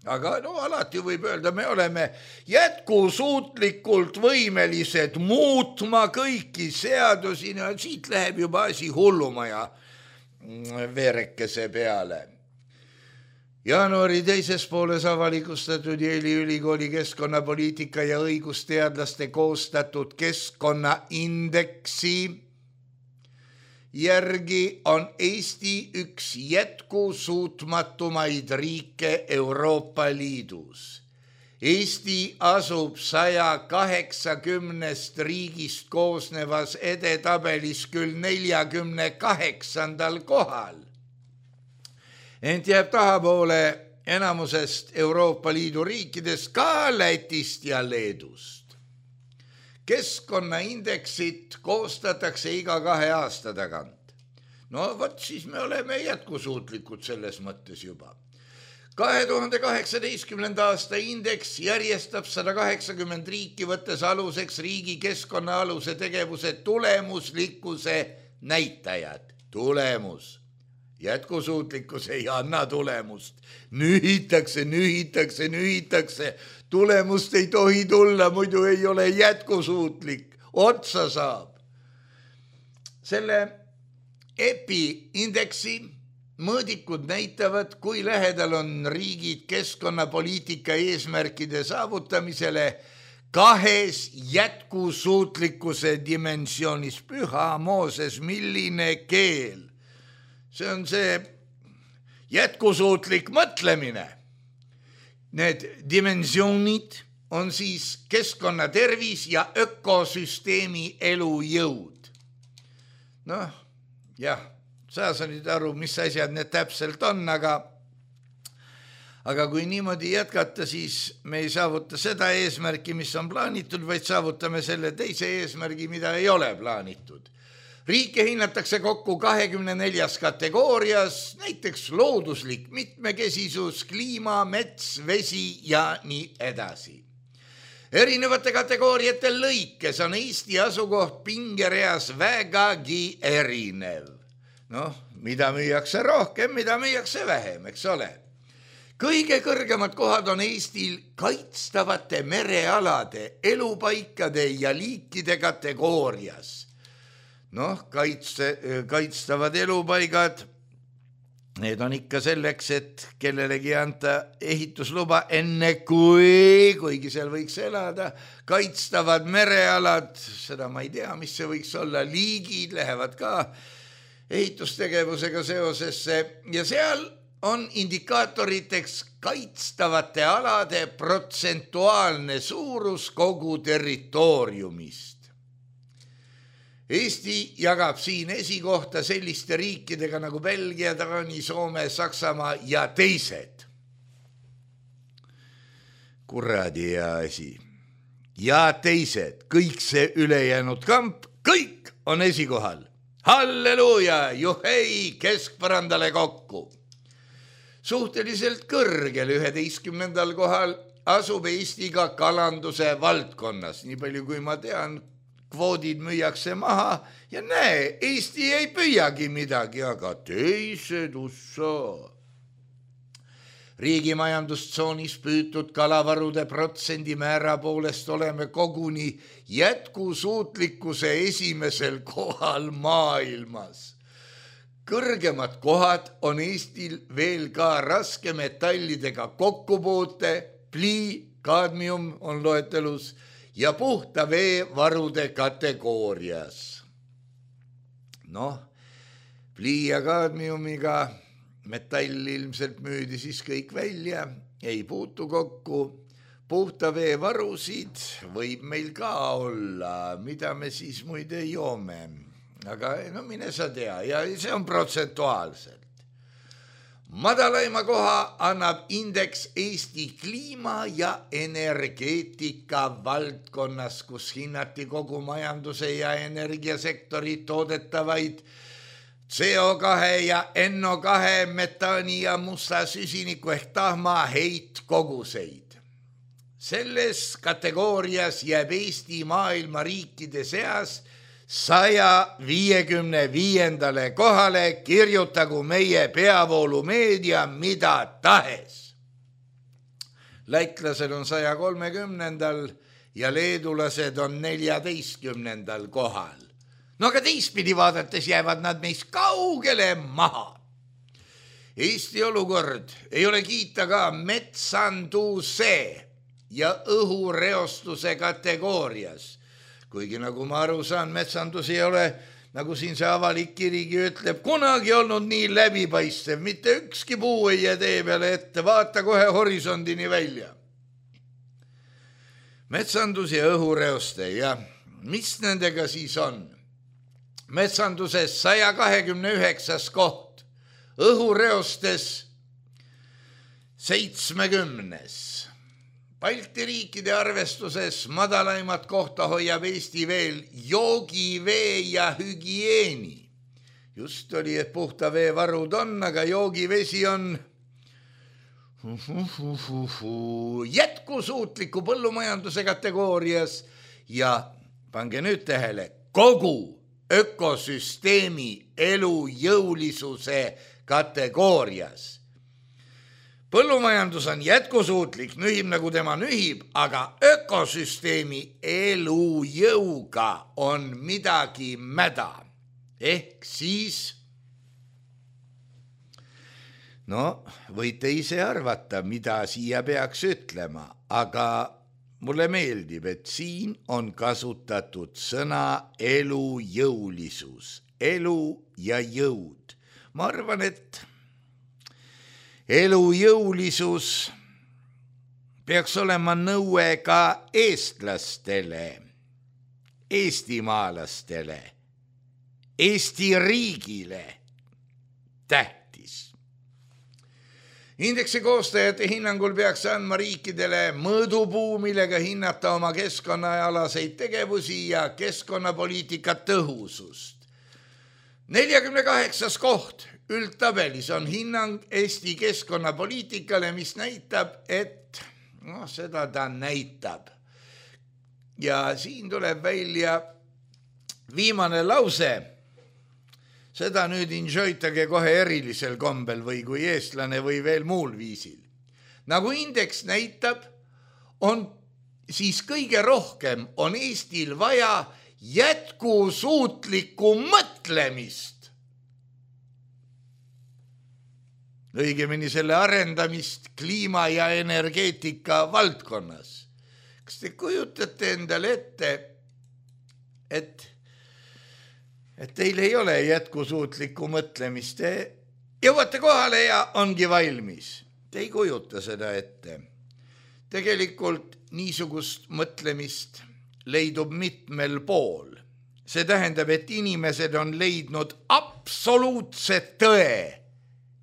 Aga no alati võib öelda, me oleme jätkusuutlikult võimelised muutma kõiki seadusi, no siit läheb juba asi hullumaja veerekese peale. Jaanuari teises pooles avalikustatud Yale'i ülikooli keskkonnapoliitika ja õigusteadlaste koostatud keskkonnaindeksi järgi on Eesti üks jätkusuutmatumaid riike Euroopa Liidus. Eesti asub saja kaheksakümnest riigist koosnevas edetabelis küll neljakümne kaheksandal kohal. Ent jääb tahapoole enamusest Euroopa Liidu riikidest, ka Lätist ja Leedust. Keskkonnaindeksit koostatakse iga kahe aasta tagant. No võt siis me oleme jätkusuutlikud selles mõttes juba. kahe tuhande kaheksateistkümnenda aasta indeks järjestab sada kaheksakümmend riiki, võttes aluseks riigi keskkonnaaluse tegevuse tulemuslikkuse näitajad. Tulemus. Jätkusuutlikkus ei anna tulemust. Nühitakse, nühitakse, nühitakse. Tulemust ei tohi tulla, muidu ei ole jätkusuutlik. Otsa saab. Selle E P I indeksi mõõdikud näitavad, kui lähedal on riigid keskkonnapoliitika eesmärkide saavutamisele kahes jätkusuutlikkuse dimensioonis. Püha Mooses, milline keel. See on see jätkusuutlik mõtlemine. Need dimensioonid on siis keskkonnatervis ja ökosüsteemi elujõud. Noh, jah, sa sa nüüd aru, mis asjad need täpselt on, aga, aga kui niimoodi jätkata, siis me ei saavuta seda eesmärki, mis on plaanitud, vaid saavutame selle teise eesmärgi, mida ei ole plaanitud. Riike hinnatakse kokku kahekümne neljas kategoorias, näiteks looduslik mitmekesisus, kliima, mets, vesi ja nii edasi. Erinevate kategooriate lõikes on Eesti asukoht pingereas vägagi erinev. Noh, mida müüakse rohkem, mida müüakse vähem, eks ole. Kõige kõrgemad kohad on Eestil kaitstavate merealade, elupaikade ja liikide kategoorias. Noh, kaitse, kaitstavad elupaigad, need on ikka selleks, et kellelegi anta ehitusluba enne kui, kuigi seal võiks elada, kaitstavad merealad, seda ma ei tea, mis see võiks olla, liigid lähevad ka ehitustegevusega seosesse ja seal on indikaatoriteks kaitstavate alade protsentuaalne suurus kogu territooriumist. Eesti jagab siin esikohta selliste riikidega nagu Belgia, Taani, Soome, Saksamaa ja teised. Kuradi ja asi. Ja teised, kõik see ülejäänud kamp, kõik on esikohal. Halleluuja, juhei, keskpõrandale kokku. Suhteliselt kõrgel üheteistkümnendal kohal asub Eestiga kalanduse valdkonnas. Nii palju kui ma tean, kvoodid müüakse maha ja näe, Eesti ei püüagi midagi, aga teised ussa. Riigi majandustsoonis püütud kalavarude protsendi määra poolest oleme koguni jätkusuutlikkuse esimesel kohal maailmas. Kõrgemad kohad on Eestil veel ka raskemetallidega kokkupuute, plii, kaadmium on loetelus ja puhta veevarude kategoorias. Noh, plii ja kaadmiumiga metall ilmselt müüdi siis kõik välja, ei puutu kokku. Puhta veevarusid võib meil ka olla, mida me siis muide joome. Aga no mine sa tea, ja see on protsentuaalselt. Madalaima koha annab indeks Eesti kliima ja energeetika valdkonnas, kus hinnati kogu majanduse ja energiasektori toodetavaid C O kahe ja N O kahe metaani ja musta süsiniku ehk tahma heitkoguseid. Selles kategoorias jääb Eesti maailma riikide seas saja viiekümne viiendale kohale, kirjutagu meie peavoolumeedia mida tahes. Lätlased on saja kolmekümnendal ja leedulased on neljateistkümnendal kohal. No aga teistpidi vaadates jäävad nad meist kaugele maha. Eesti olukord ei ole kiita ka metsanduse ja õhureostuse kategoorias. Kuigi nagu ma aru saan, metsandus ei ole, nagu siin see avalik kirigi ütleb, kunagi olnud nii läbipaistev. Mitte ükski puu ei jää tee peale ette, vaata kohe horisondini välja. Metsandus ja õhureoste ja mis nendega siis on? Metsanduses saja kahekümne üheksas koht, õhureostes seitsmekümnes. Balti riikide arvestuses madalaimat kohta hoiab Eesti veel joogivee ja hügieeni. Just oli, et puhta veevarud on, aga joogivesi on jätkusuutliku põllumajanduse kategoorias ja pange nüüd tähele, kogu ökosüsteemi elujõulisuse kategoorias. Põllumajandus on jätkusuutlik, nühib nagu tema nühib, aga ökosüsteemi elujõuga on midagi mäda. Ehk siis, no võite ise arvata, mida siia peaks ütlema, aga mulle meeldib, et siin on kasutatud sõna elujõulisus, elu ja jõud. Ma arvan, et elujõulisus peaks olema nõue ka eestlastele, eestimaalastele, Eesti riigile tähtis. Indeksi koostajate hinnangul peaks andma riikidele mõõdupuu, millega hinnata oma keskkonnaalaseid tegevusi ja keskkonnapoliitika tõhusust. neljakümne kaheksas koht üldtabelis on hinnang Eesti keskkonnapoliitikale, mis näitab, et no, seda ta näitab. Ja siin tuleb välja viimane lause. Seda nüüd enjoytage kohe erilisel kombel või kui eestlane või veel muul viisil. Nagu indeks näitab, on siis kõige rohkem on Eestil vaja jätkusuutlikku mõtlemist. Õigemini selle arendamist kliima ja energeetika valdkonnas. Kas te kujutate endale ette, et et teil ei ole jätkusuutlikku mõtlemist. Te jõuate kohale ja ongi valmis. Te ei kujuta seda ette. Tegelikult niisugust mõtlemist leidub mitmel pool. See tähendab, et inimesed on leidnud absoluutse tõe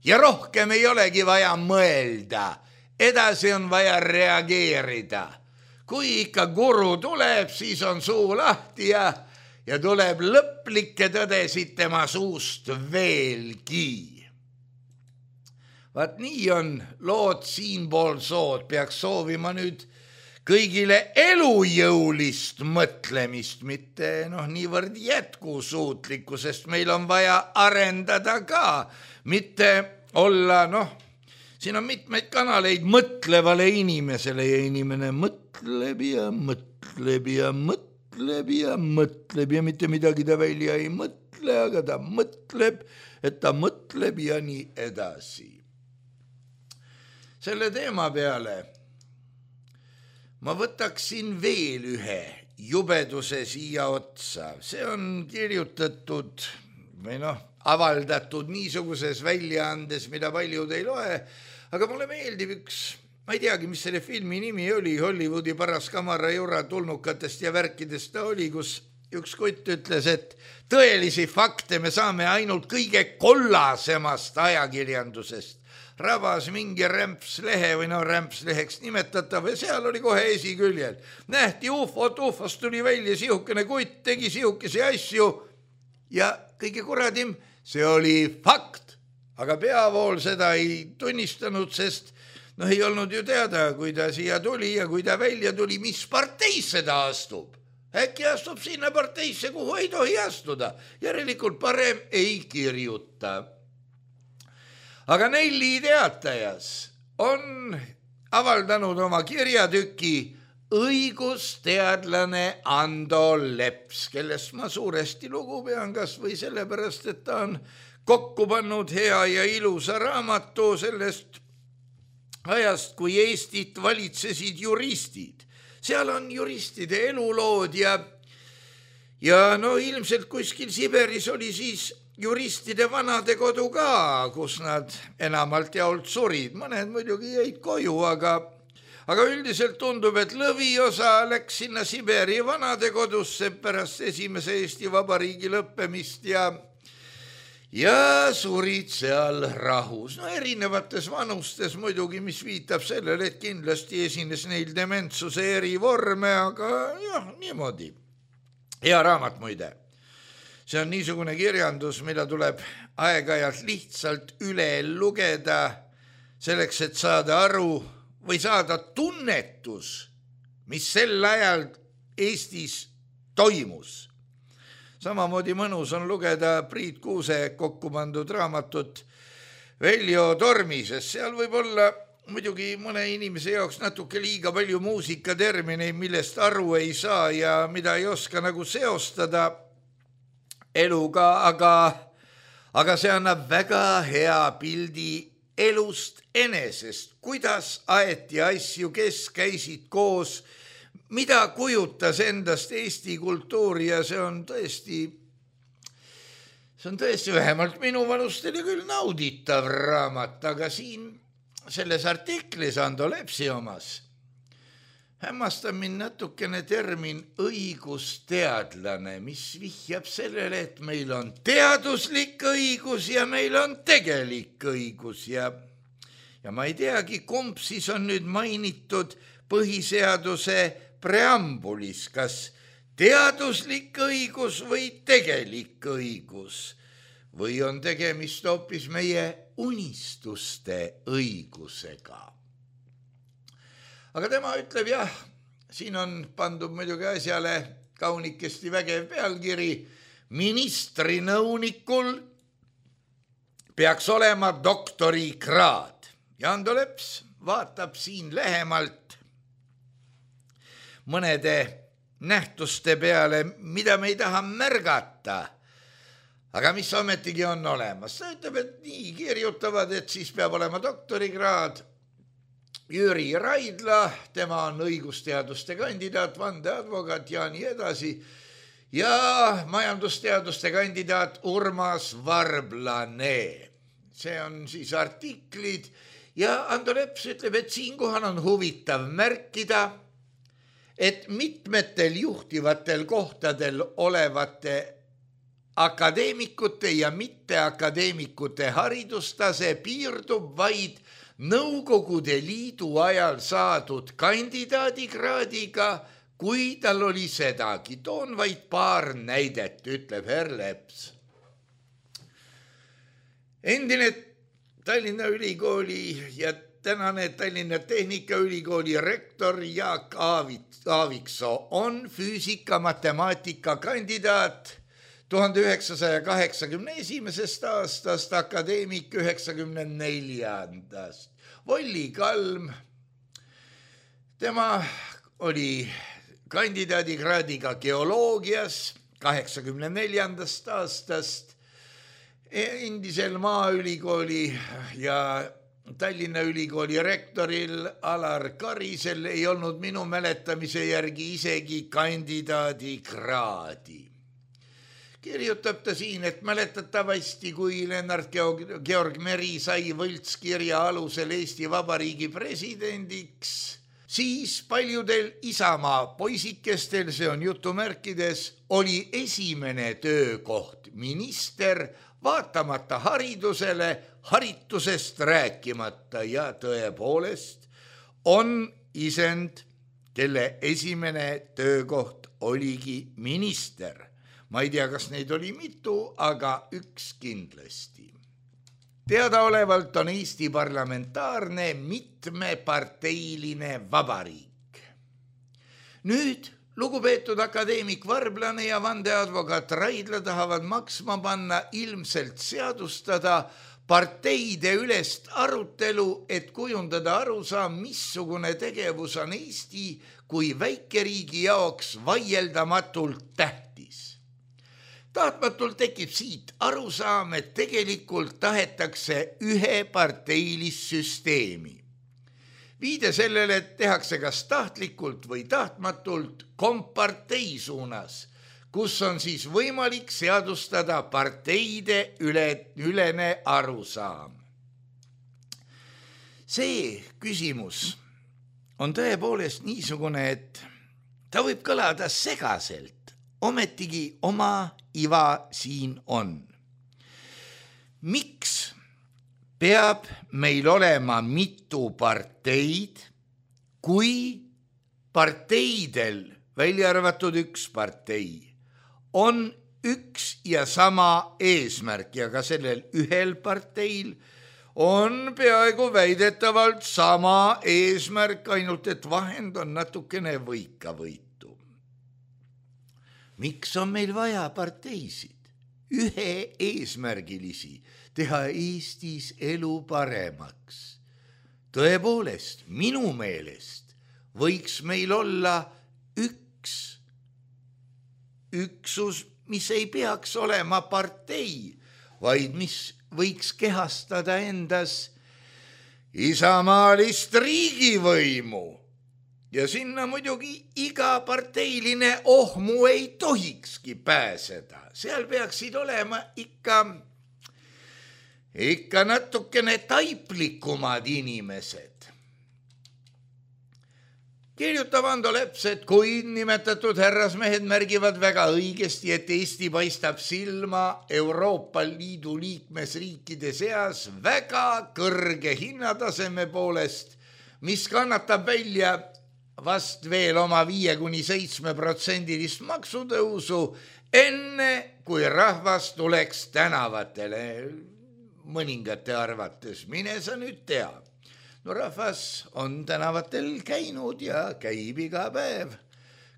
ja rohkem ei olegi vaja mõelda. Edasi on vaja reageerida. Kui ikka guru tuleb, siis on suu lahti ja, ja tuleb lõplikke tõdesid tema suust veelgi. Vaat nii on lood siinpool sood, peaks soovima nüüd kõigile elujõulist mõtlemist, mitte noh, niivõrd jätkusuutlikku, sest meil on vaja arendada ka, mitte olla, noh, siin on mitmeid kanaleid mõtlevale inimesele ja inimene mõtleb ja mõtleb ja mõtleb ja mõtleb ja mitte midagi ta välja ei mõtle, aga ta mõtleb, et ta mõtleb ja nii edasi. Selle teema peale ma võtaksin veel ühe jubeduse siia otsa. See on kirjutatud või noh, avaldatud niisuguses väljaandes, mida paljud ei loe, aga mulle meeldib üks, ma ei teagi, mis selle filmi nimi oli, Hollywoodi paras kamara jura tulnukatest ja värkidest ta oli, kus üks kutt ütles, et tõelisi fakte me saame ainult kõige kollasemast ajakirjandusest. Rabas mingi rämpslehe või no rämpsleheks nimetatav ja seal oli kohe esiküljel. Nähti ufot, ufost tuli välja, sihukene kutt tegi sihukese asju ja kõige kuradim, see oli fakt. Aga peavool seda ei tunnistanud, sest noh, ei olnud ju teada, kui ta siia tuli ja kui ta välja tuli, mis parteisse ta astub. Äkki astub sinna parteisse, kuhu ei tohi astuda. Järelikult parem ei kirjuta. Aga Nelli Teatajas on avaldanud oma kirjatüki õigusteadlane Ando Leps, kellest ma suuresti lugu pean kas või sellepärast, et ta on kokku pannud hea ja ilusa raamatu sellest ajast, kui Eestit valitsesid juristid. Seal on juristide elulood ja, ja no ilmselt kuskil Siberis oli siis juristide vanadekodu ka, kus nad enamalt jaolt surid. Mõned muidugi jäid koju, aga, aga üldiselt tundub, et lõviosa läks sinna Siberi vanadekodusse pärast esimese Eesti Vabariigi lõppemist ja, ja surid seal rahus. No erinevates vanustes muidugi, mis viitab sellele, et kindlasti esines neil dementsuse eri vorme, aga jah, niimoodi. Hea raamat muide. See on niisugune kirjandus, mida tuleb aeg-ajalt lihtsalt üle lugeda selleks, et saada aru või saada tunnetus, mis sel ajal Eestis toimus. Samamoodi mõnus on lugeda Priit Kuuse kokku pandud raamatut Veljo Tormi, sest seal võib olla muidugi mõne inimese jaoks natuke liiga palju muusikatermineid, millest aru ei saa ja mida ei oska nagu seostada eluga, aga, aga see annab väga hea pildi elust enesest, kuidas aeti asju, kes käisid koos, mida kujutas endast Eesti kultuuri ja see on tõesti, see on tõesti vähemalt minu vanustele küll nauditav raamat, aga siin selles artiklis Ando Lepsi omas hämmastab mind natukene termin õigusteadlane, mis vihjab sellele, et meil on teaduslik õigus ja meil on tegelik õigus ja, ja ma ei teagi, kumb siis on nüüd mainitud põhiseaduse preambulis, kas teaduslik õigus või tegelik õigus või on tegemist hoopis meie unistuste õigusega. Aga tema ütleb jah, siin on pandud muidugi asjale kaunikesti vägev pealkiri, ministri nõunikul peaks olema doktorikraad. Ja Ando Leps vaatab siin lähemalt mõnede nähtuste peale, mida me ei taha märgata, aga mis ometigi on olemas. Ta ütleb, et nii kirjutavad, et siis peab olema doktorikraad. Jüri Raidla, tema on õigusteaduste kandidaat, vandeadvokaat ja nii edasi. ja majandusteaduste kandidaat Urmas Varblane. See on siis artiklid ja Ando Leps ütleb, et siinkohal on huvitav märkida, et mitmetel juhtivatel kohtadel olevate akadeemikute ja mitteakadeemikute haridustase piirdub vaid Nõukogude Liidu ajal saadud kandidaadikraadiga, kui tal oli sedagi. Toon vaid paar näidet, ütleb herr Leps. Endine Tallinna Ülikooli ja tänane Tallinna Tehnikaülikooli rektor Jaak Aaviksoo on füüsika matemaatika kandidaat tuhande üheksasaja kaheksakümne esimesest aastast, akadeemik üheksakümne neljandast. Volli Kalm, tema oli kandidaadikraadiga geoloogias kaheksakümne neljandast aastast. Endisel Maaülikooli ja Tallinna Ülikooli rektoril Alar Karisel ei olnud minu mäletamise järgi isegi kandidaadikraadi. Kirjutab ta siin, et mäletatavasti, kui Lennart Georg Meri sai võltskirja alusel Eesti Vabariigi presidendiks, siis paljudel Isamaa poisikestel, see on jutumärkides, oli esimene töökoht minister, vaatamata haridusele, haritusest rääkimata ja tõepoolest on isend, kelle esimene töökoht oligi minister. Ma ei tea, kas neid oli mitu, aga üks kindlasti. Teadaolevalt on Eesti parlamentaarne mitmeparteiline vabariik. Nüüd lugupeetud akadeemik Varblane ja vandeadvokaat Raidla tahavad maksma panna ilmselt seadustada parteide ülest arutelu, et kujundada arusaam, missugune tegevus on Eesti kui väikeriigi jaoks vaieldamatult tähtis. Tahtmatult tekib siit arusaam, et tegelikult tahetakse ühe parteilist süsteemi. Viide sellele, et tehakse kas tahtlikult või tahtmatult kompartei suunas, kus on siis võimalik seadustada parteide üle, ülene arusaam. See küsimus on tõepoolest niisugune, et ta võib kõlada segaselt, ometigi oma iva siin on. Miks peab meil olema mitu parteid, kui parteidel, välja arvatud üks partei, on üks ja sama eesmärk ja ka sellel ühel parteil on peaaegu väidetavalt sama eesmärk, ainult et vahend on natukene võikavõitu. Miks on meil vaja parteisid, ühe eesmärgilisi, teha Eestis elu paremaks? Tõepoolest, minu meelest võiks meil olla üks üksus, mis ei peaks olema partei, vaid mis võiks kehastada endas isamaalist riigivõimu. Ja sinna muidugi iga parteiline ohmu ei tohikski pääseda. Seal peaksid olema ikka, ikka natukene taiplikumad inimesed. Kirjutab Ando Leps, et kui nimetatud härrasmehed märgivad väga õigesti, et Eesti paistab silma Euroopa Liidu liikmesriikide seas väga kõrge hinnataseme poolest, mis kannatab välja vast veel oma viie kuni seitsme protsendilist maksutõusu, enne kui rahvas tuleks tänavatele. Mõningate arvates, mine sa nüüd tea. No rahvas on tänavatel käinud ja käib iga päev.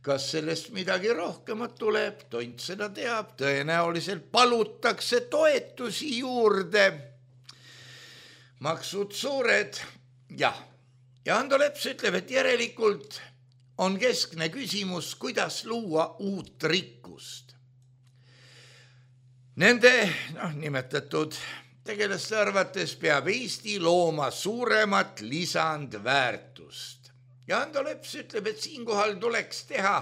Kas sellest midagi rohkemat tuleb, tont seda teab, tõenäoliselt palutakse toetusi juurde. Maksud suured, jah. Ja Ando Leps ütleb, et järelikult on keskne küsimus, kuidas luua uut rikkust. Nende noh, nimetatud tegelaste arvates peab Eesti looma suuremat lisandväärtust. Ja Ando Leps ütleb, et siinkohal tuleks teha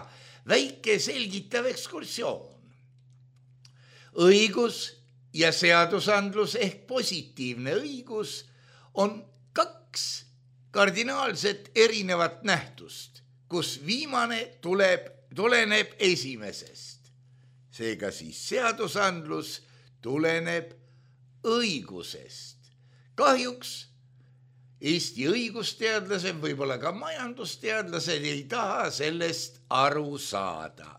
väike selgitav ekskursioon. Õigus ja seadusandlus ehk positiivne õigus on kaks kardinaalset erinevat nähtust, kus viimane tuleb, tuleneb esimesest. Seega siis seadusandlus tuleneb õigusest. Kahjuks Eesti õigusteadlased, võib-olla ka majandusteadlased ei taha sellest aru saada.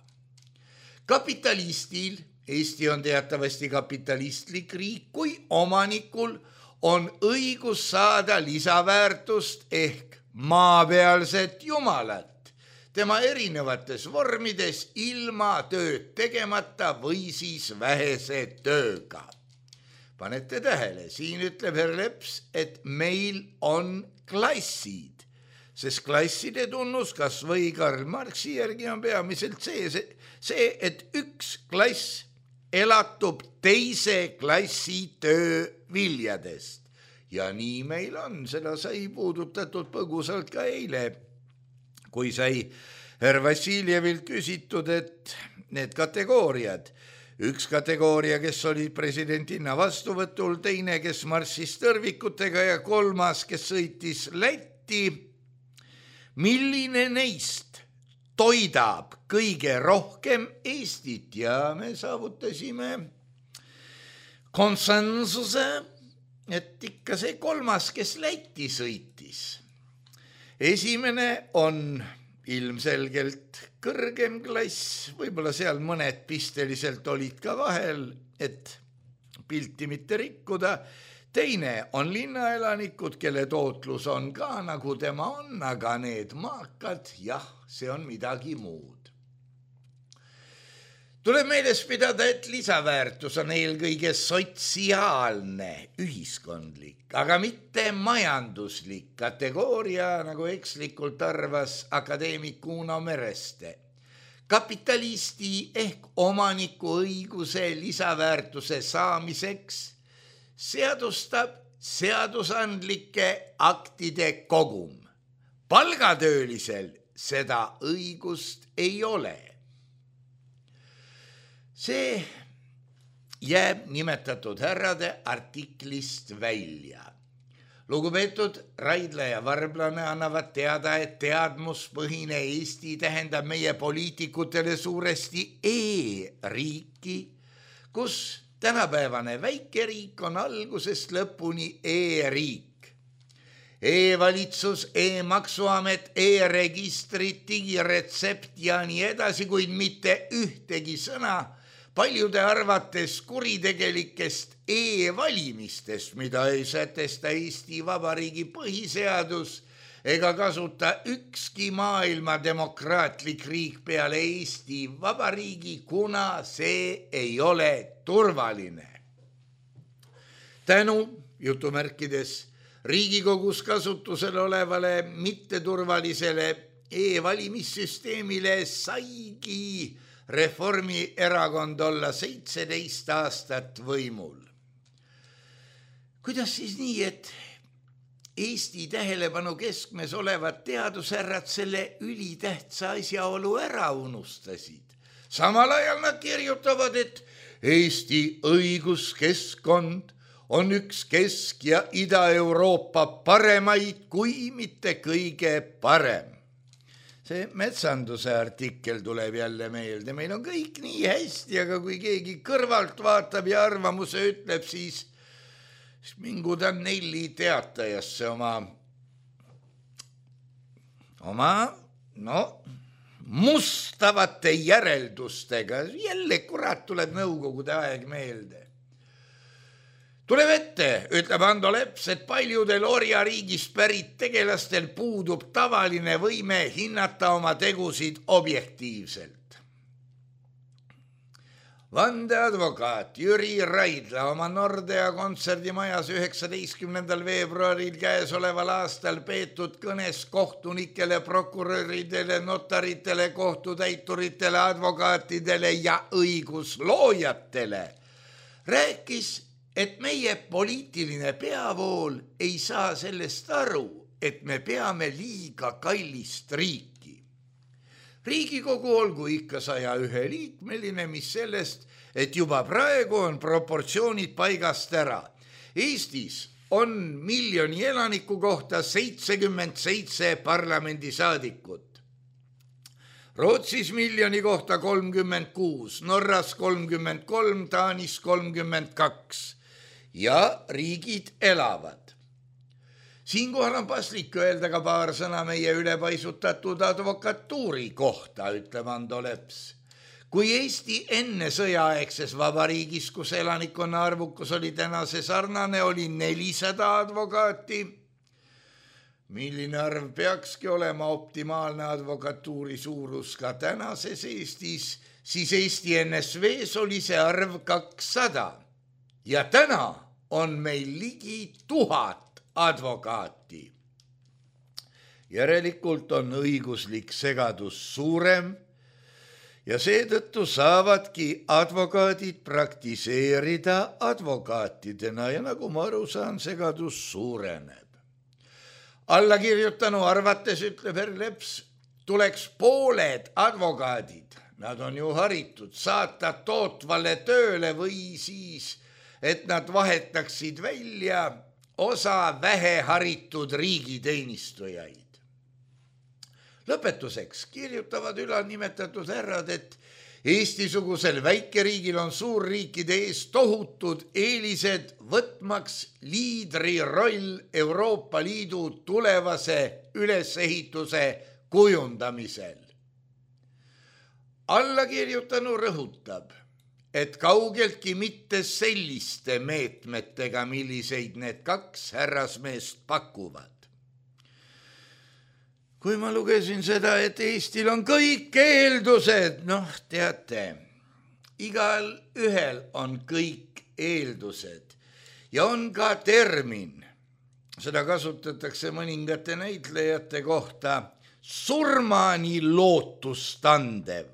Kapitalistil, Eesti on teatavasti kapitalistlik riik, kui omanikul on õigus saada lisaväärtust ehk maapealset jumalat tema erinevates vormides ilma tööd tegemata või siis vähese tööga. Panete tähele, siin ütleb Herr Leps, et meil on klassid, sest klasside tunnus kas või Karl Marxi järgi on peamiselt see, see, et üks klass elatub teise klassi tööviljadest. Ja nii meil on, seda sai puudutatud põgusalt ka eile, kui sai Herr Vassiljevilt küsitud, et need kategooriad, üks kategooria, kes oli presidentina vastuvõtul, teine, kes marssis tõrvikutega ja kolmas, kes sõitis Lätti. Milline neist toidab kõige rohkem Eestit ja me saavutasime konsensuse, et ikka see kolmas, kes Lätti sõitis. Esimene on ilmselgelt kõrgem klass, võib-olla seal mõned pisteliselt olid ka vahel, et pilti mitte rikkuda. Teine on linnaelanikud, kelle tootlus on ka nagu tema on, aga need maakad, jah, see on midagi muud. Tuleb meeles pidada, et lisaväärtus on eelkõige sotsiaalne, ühiskondlik, aga mitte majanduslik kategooria, nagu ekslikult arvas akadeemik Uno Mereste. Kapitalisti ehk omaniku õiguse lisaväärtuse saamiseks seadustab seadusandlike aktide kogum. Palgatöölisel seda õigust ei ole. See jääb nimetatud härrade artiklist välja. Lugupeetud Raidla ja Varblane annavad teada, et teadmuspõhine Eesti tähendab meie poliitikutele suuresti e-riiki, kus tänapäevane väikeriik on algusest lõpuni e-riik. E-valitsus, e-maksuamet, e-registrid, digiretsept ja nii edasi, kuid mitte ühtegi sõna paljude arvates kuritegelikest e-valimistest, mida ei sätesta Eesti Vabariigi põhiseadus ega kasuta ükski maailma demokraatlik riik peale Eesti Vabariigi, kuna see ei ole turvaline. Tänu, jutumärkides, Riigikogus kasutusel olevale mitteturvalisele e-valimissüsteemile saigi Reformierakond olla seitseteist aastat võimul. Kuidas siis nii, et Eesti tähelepanu keskmes olevad teadushärrad selle ülitähtsa asjaolu ära unustasid? Samal ajal nad kirjutavad, et Eesti õiguskeskkond on üks Kesk- ja Ida-Euroopa paremaid, kui mitte kõige parem. See metsanduse artikkel tuleb jälle meelde. Meil on kõik nii hästi, aga kui keegi kõrvalt vaatab ja arvamuse ütleb, siis mingu ta Nelli teatajasse oma, oma no, mustavate järeldustega. Jälle kurat tuleb nõukogude aeg meelde. Tuleb ette, ütleb Ando Leps, et paljudel orjariigist pärit tegelastel puudub tavaline võime hinnata oma tegusid objektiivselt. Vandeadvokaat Jüri Raidla oma Nordea kontserdimajas üheksateistkümnendal veebruaril käesoleval aastal peetud kõnes kohtunikele, prokuröridele, notaritele, kohtutäituritele, advokaatidele ja õigusloojatele rääkis, et meie poliitiline peavool ei saa sellest aru, et me peame liiga kallist riiki. Riigikogu olgu ikka saja ühe liikmeline, mis sellest, et juba praegu on proportsioonid paigast ära. Eestis on miljoni elaniku kohta seitsekümmend seitse parlamendisaadikut. Rootsis miljoni kohta kolmkümmend kuus, Norras kolmkümmend kolm, Taanis kolmkümmend kaks ja riigid elavad. Siinkohal on paslik öelda ka paar sõna meie ülepaisutatud advokatuuri kohta, ütleb Ando Leps. Kui Eesti enne sõjaaegses vabariigis, kus elanikkonna arvukus oli tänase sarnane, oli nelisada advokaati, milline arv peakski olema optimaalne advokatuuri suurus ka tänases Eestis, siis Eesti N S V-s oli see arv kakssada ja täna on meil ligi tuhat advokaati. Järelikult on õiguslik segadus suurem ja seetõttu saavadki advokaadid praktiseerida advokaatidena ja nagu ma aru saan, segadus suureneb. Allakirjutanu arvates, ütleb Herr Leps, tuleks pooled advokaadid, nad on ju haritud, saata tootvale tööle või siis, et nad vahetaksid välja osa väheharitud riigiteenistujaid. Lõpetuseks kirjutavad ülalnimetatud härrad, et Eesti-sugusel väikeriigil on suurriikide ees tohutud eelised võtmaks liidri roll Euroopa Liidu tulevase ülesehituse kujundamisel. Allakirjutanu rõhutab, et kaugeltki mitte selliste meetmetega, milliseid need kaks härrasmeest pakuvad. Kui ma lugesin seda, et Eestil on kõik eeldused, noh teate, igal ühel on kõik eeldused ja on ka termin, seda kasutatakse mõningate näitlejate kohta, surmani lootustandev.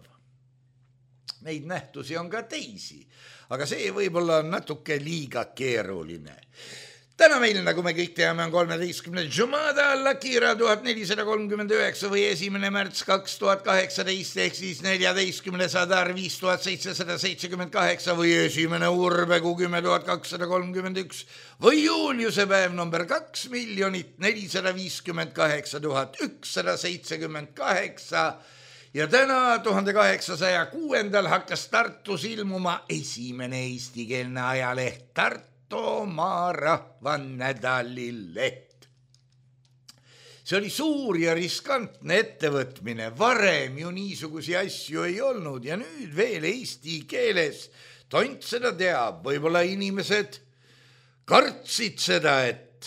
Neid nähtusi on ka teisi, aga see võib-olla on natuke liiga keeruline. Täna meil, nagu me kõik teame, on kolmeteistkümnes Jumada Allakira tuhat nelisada kolmkümmend üheksa või esimene märts kaks tuhat kaheksateist ehk siis neljateistkümnes Adar viis tuhat seitsesada seitsekümmend kaheksa või esimene Urbegu kümme tuhat kakssada kolmkümmend üks või Juuliuse päev number kaks miljonit nelisada viiskümmend kaheksa tuhat ükssada seitsekümmend kaheksa ja täna tuhande kaheksasaja kuuendal hakkas Tartus ilmuma esimene eestikeelne ajaleht Tartu oma rahvanädalileht. See oli suur ja riskantne ettevõtmine, varem ju niisugusi asju ei olnud ja nüüd veel eesti keeles. Tont seda teab, võib-olla inimesed kartsid seda, et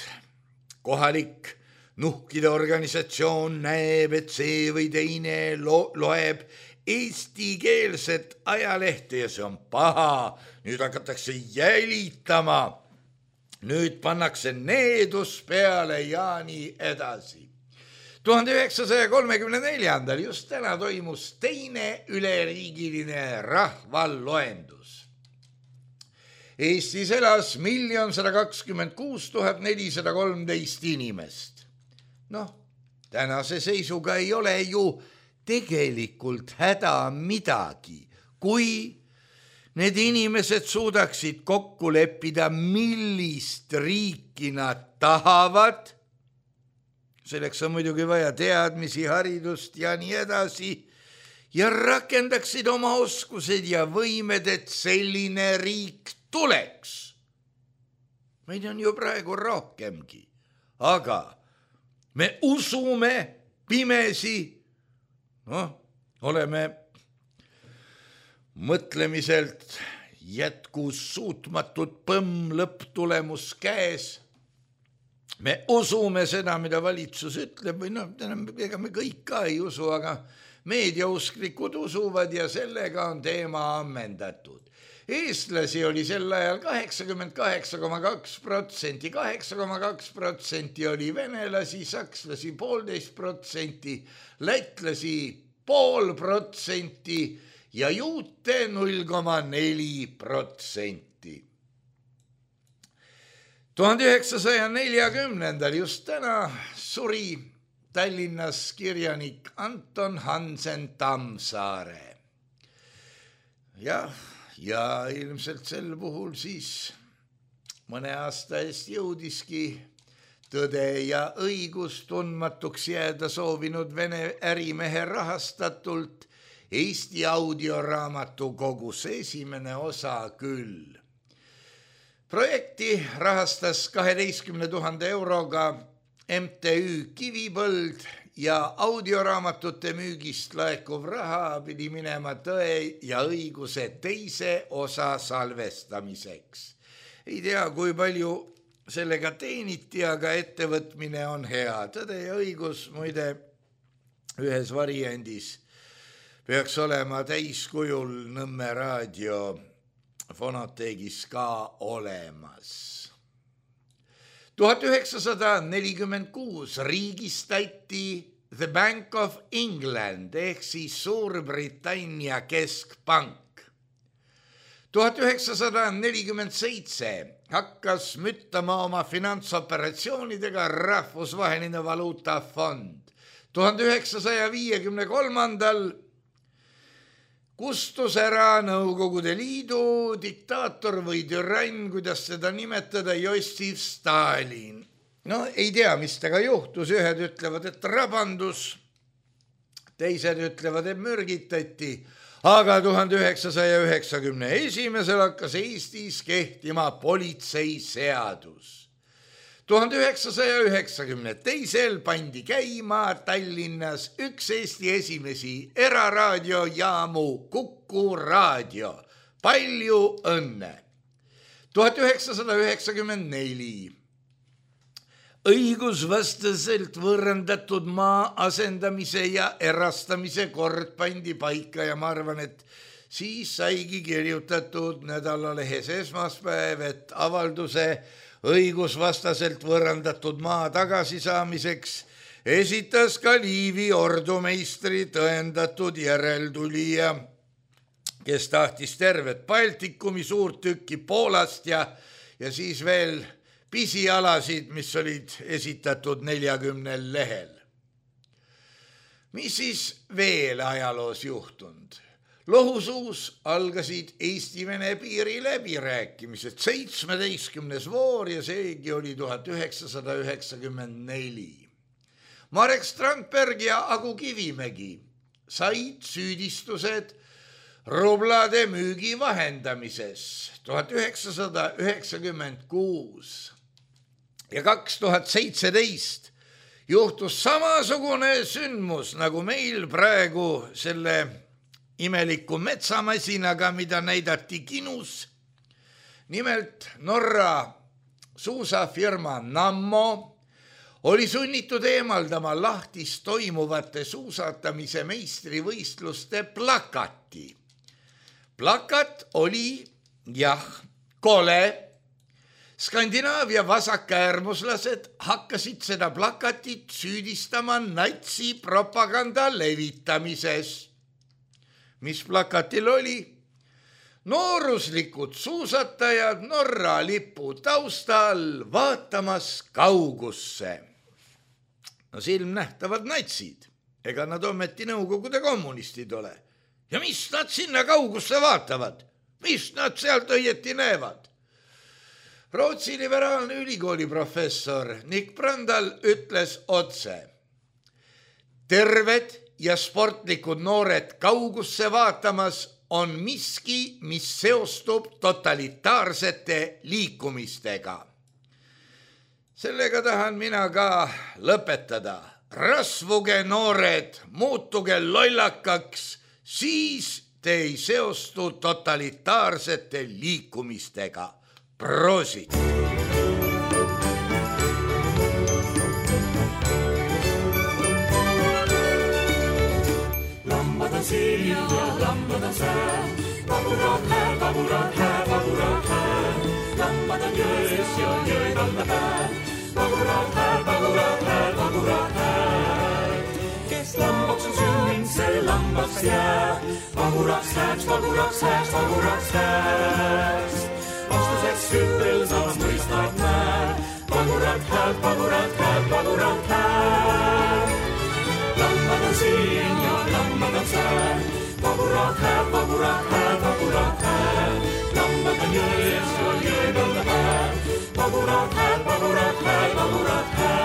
kohalik nuhkide organisatsioon näeb, et see või teine lo- loeb eestikeelset ajalehte ja see on paha. Nüüd hakatakse jälitama, nüüd pannakse needus peale ja nii edasi. tuhande üheksasaja kolmekümne neljandal just täna toimus teine üleriigiline rahvaloendus. Eestis elas miljon sada kakskümmend kuus tuhat nelisada kolmteist inimest. Noh, tänase seisuga ei ole ju tegelikult häda midagi, kui need inimesed suudaksid kokku leppida, millist riiki nad tahavad. Selleks on muidugi vaja teadmisi, haridust ja nii edasi. Ja rakendaksid oma oskused ja võimed, et selline riik tuleks. Meid on ju praegu rohkemgi, aga me usume pimesi, noh, oleme mõtlemiselt jätkus suutmatud põmm lõpptulemus käes. Me usume seda, mida valitsus ütleb, või noh, ega me kõik ka ei usu, aga meediausklikud usuvad ja sellega on teema ammendatud. Eestlasi oli sel ajal kaheksakümmend kaheksa koma kaks protsenti, kaheksa koma kaks protsenti oli venelasi, sakslasi poolteist protsenti, lätlasi pool protsenti ja juute null koma neli protsenti. tuhande üheksasaja neljakümnendal just täna suri Tallinnas kirjanik Anton Hansen Tammsaare. Ja, ja ilmselt sel puhul siis mõne aasta eest jõudiski tõde ja õigus tundmatuks jääda soovinud Vene ärimehe rahastatult Eesti audioraamatu kogus esimene osa küll. Projekti rahastas kaheteistkümne tuhande euroga M T Ü Kivipõld ja audioraamatute müügist laekuv raha pidi minema Tõe ja õiguse teise osa salvestamiseks. Ei tea, kui palju sellega teeniti, aga ettevõtmine on hea. Tõde ja õigus muide ühes variandis peaks olema täiskujul Nõmme raadio fonoteegis ka olemas. tuhat üheksasada nelikümmend kuus riigistati The Bank of England ehk siis Suurbritannia keskpank. tuhat üheksasada nelikümmend seitse hakkas müttama oma finantsoperatsioonidega Rahvusvaheline Valuutafond. tuhande üheksasaja viiekümne kolmandal kustus ära Nõukogude Liidu diktaator või türann, kuidas seda nimetada, Jossif Stalin. No ei tea, mis tega juhtus, ühed ütlevad, et rabandus, teised ütlevad, et mürgitati, aga tuhande üheksasaja üheksakümne esimesel hakkas Eestis kehtima politseiseadus. tuhande üheksasaja üheksakümne teisel pandi käima Tallinnas üks Eesti esimesi eraraadiojaamu Kuku raadio. Palju õnne! tuhat üheksasada üheksakümmend neli õigusvastaselt võõrandatud maa asendamise ja erastamise kord pandi paika ja ma arvan, et siis saigi kirjutatud nädalalehes Esmaspäev, et avalduse õigusvastaselt võõrandatud maa tagasisaamiseks esitas ka Liivi ordumeistri tõendatud järeltulija, kes tahtis tervet Baltikumi suurt tükki Poolast ja, ja siis veel pisialasid, mis olid esitatud neljakümnel lehel. Mis siis veel ajaloos juhtunud? Lohusuus algasid Eesti-Vene piiri läbirääkimised, seitsmeteistkümnes voor ja seegi oli tuhat üheksasada üheksakümmend neli. Marek Strandberg ja Agu Kivimägi said süüdistused rublade müügi vahendamises tuhat üheksasada üheksakümmend kuus ja kaks tuhat seitseteist juhtus samasugune sündmus nagu meil praegu selle imeliku metsamasinaga, mida näidati kinus. Nimelt Norra suusafirma Nammo oli sunnitud eemaldama lahtis toimuvate suusatamise meistrivõistluste plakati. Plakat oli, jah, kole. Skandinaavia vasakäärmuslased hakkasid seda plakatit süüdistama natsi propaganda levitamises. Mis plakatil oli? Nooruslikud suusatajad Norra lipu taustal vaatamas kaugusse. No silmnähtavad natsid, ega nad ometi Nõukogude kommunistid ole. Ja mis nad sinna kaugusse vaatavad? Mis nad sealt õieti näevad? Rootsi liberaalne ülikooli professor Nick Brandal ütles otse. Terved ja sportlikud noored kaugusse vaatamas on miski, mis seostub totalitaarsete liikumistega. Sellega tahan mina ka lõpetada. Rasvuge noored, muutuge lollakaks, siis te ei seostu totalitaarsete liikumistega. Prosit! Lambad on siin ja lambad on sään, vaburaad hääl, vaburaad hääl, vaburaad hääl. Lambad on jões ja jõed alla pääl, vaburaad hääl, vaburaad hääl, vaburaad hääl. Kes lambaks on sünninud, see lambaks jääb, vaburaaks hääks, vaburaaks hääks, vaburaaks hääks. Vastuseks hüppel samas mõistad määr, vaburaad hääl, vaburaad hääl, vaburaad hääl. vagurad hääl, vagurad hääl, vagurad hääl.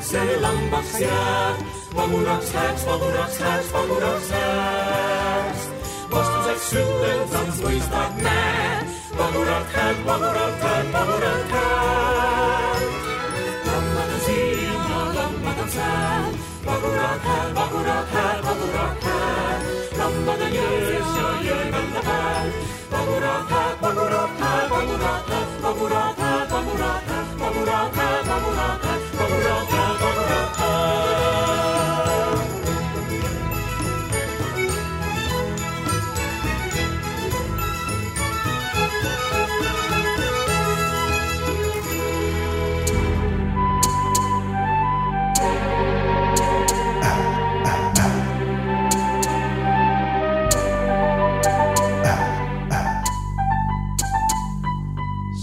See lambaks jääb, vaguraks hääks, vaguraks hääks, vaguraks hääks. Vastuseks ütlensaks mõistad näed, vagurad hääd, vagurad hääd, vagurad hääd. Lammad on siin ja lammad on sääl, vagurad hääd, vagurad hääd, vagurad hääd. Lammad on jões ja jõelda pääl, vagurad hääd, vagurad hääd, vagurad hääd, vagurad hääd, vagurad hääd, vagurad hääd, vagurad hääd, vagurad hääd.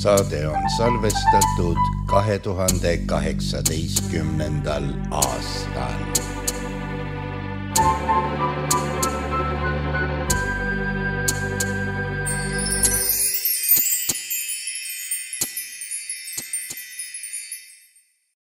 Saade on salvestatud kahe tuhande kaheksateistkümnendal aastal.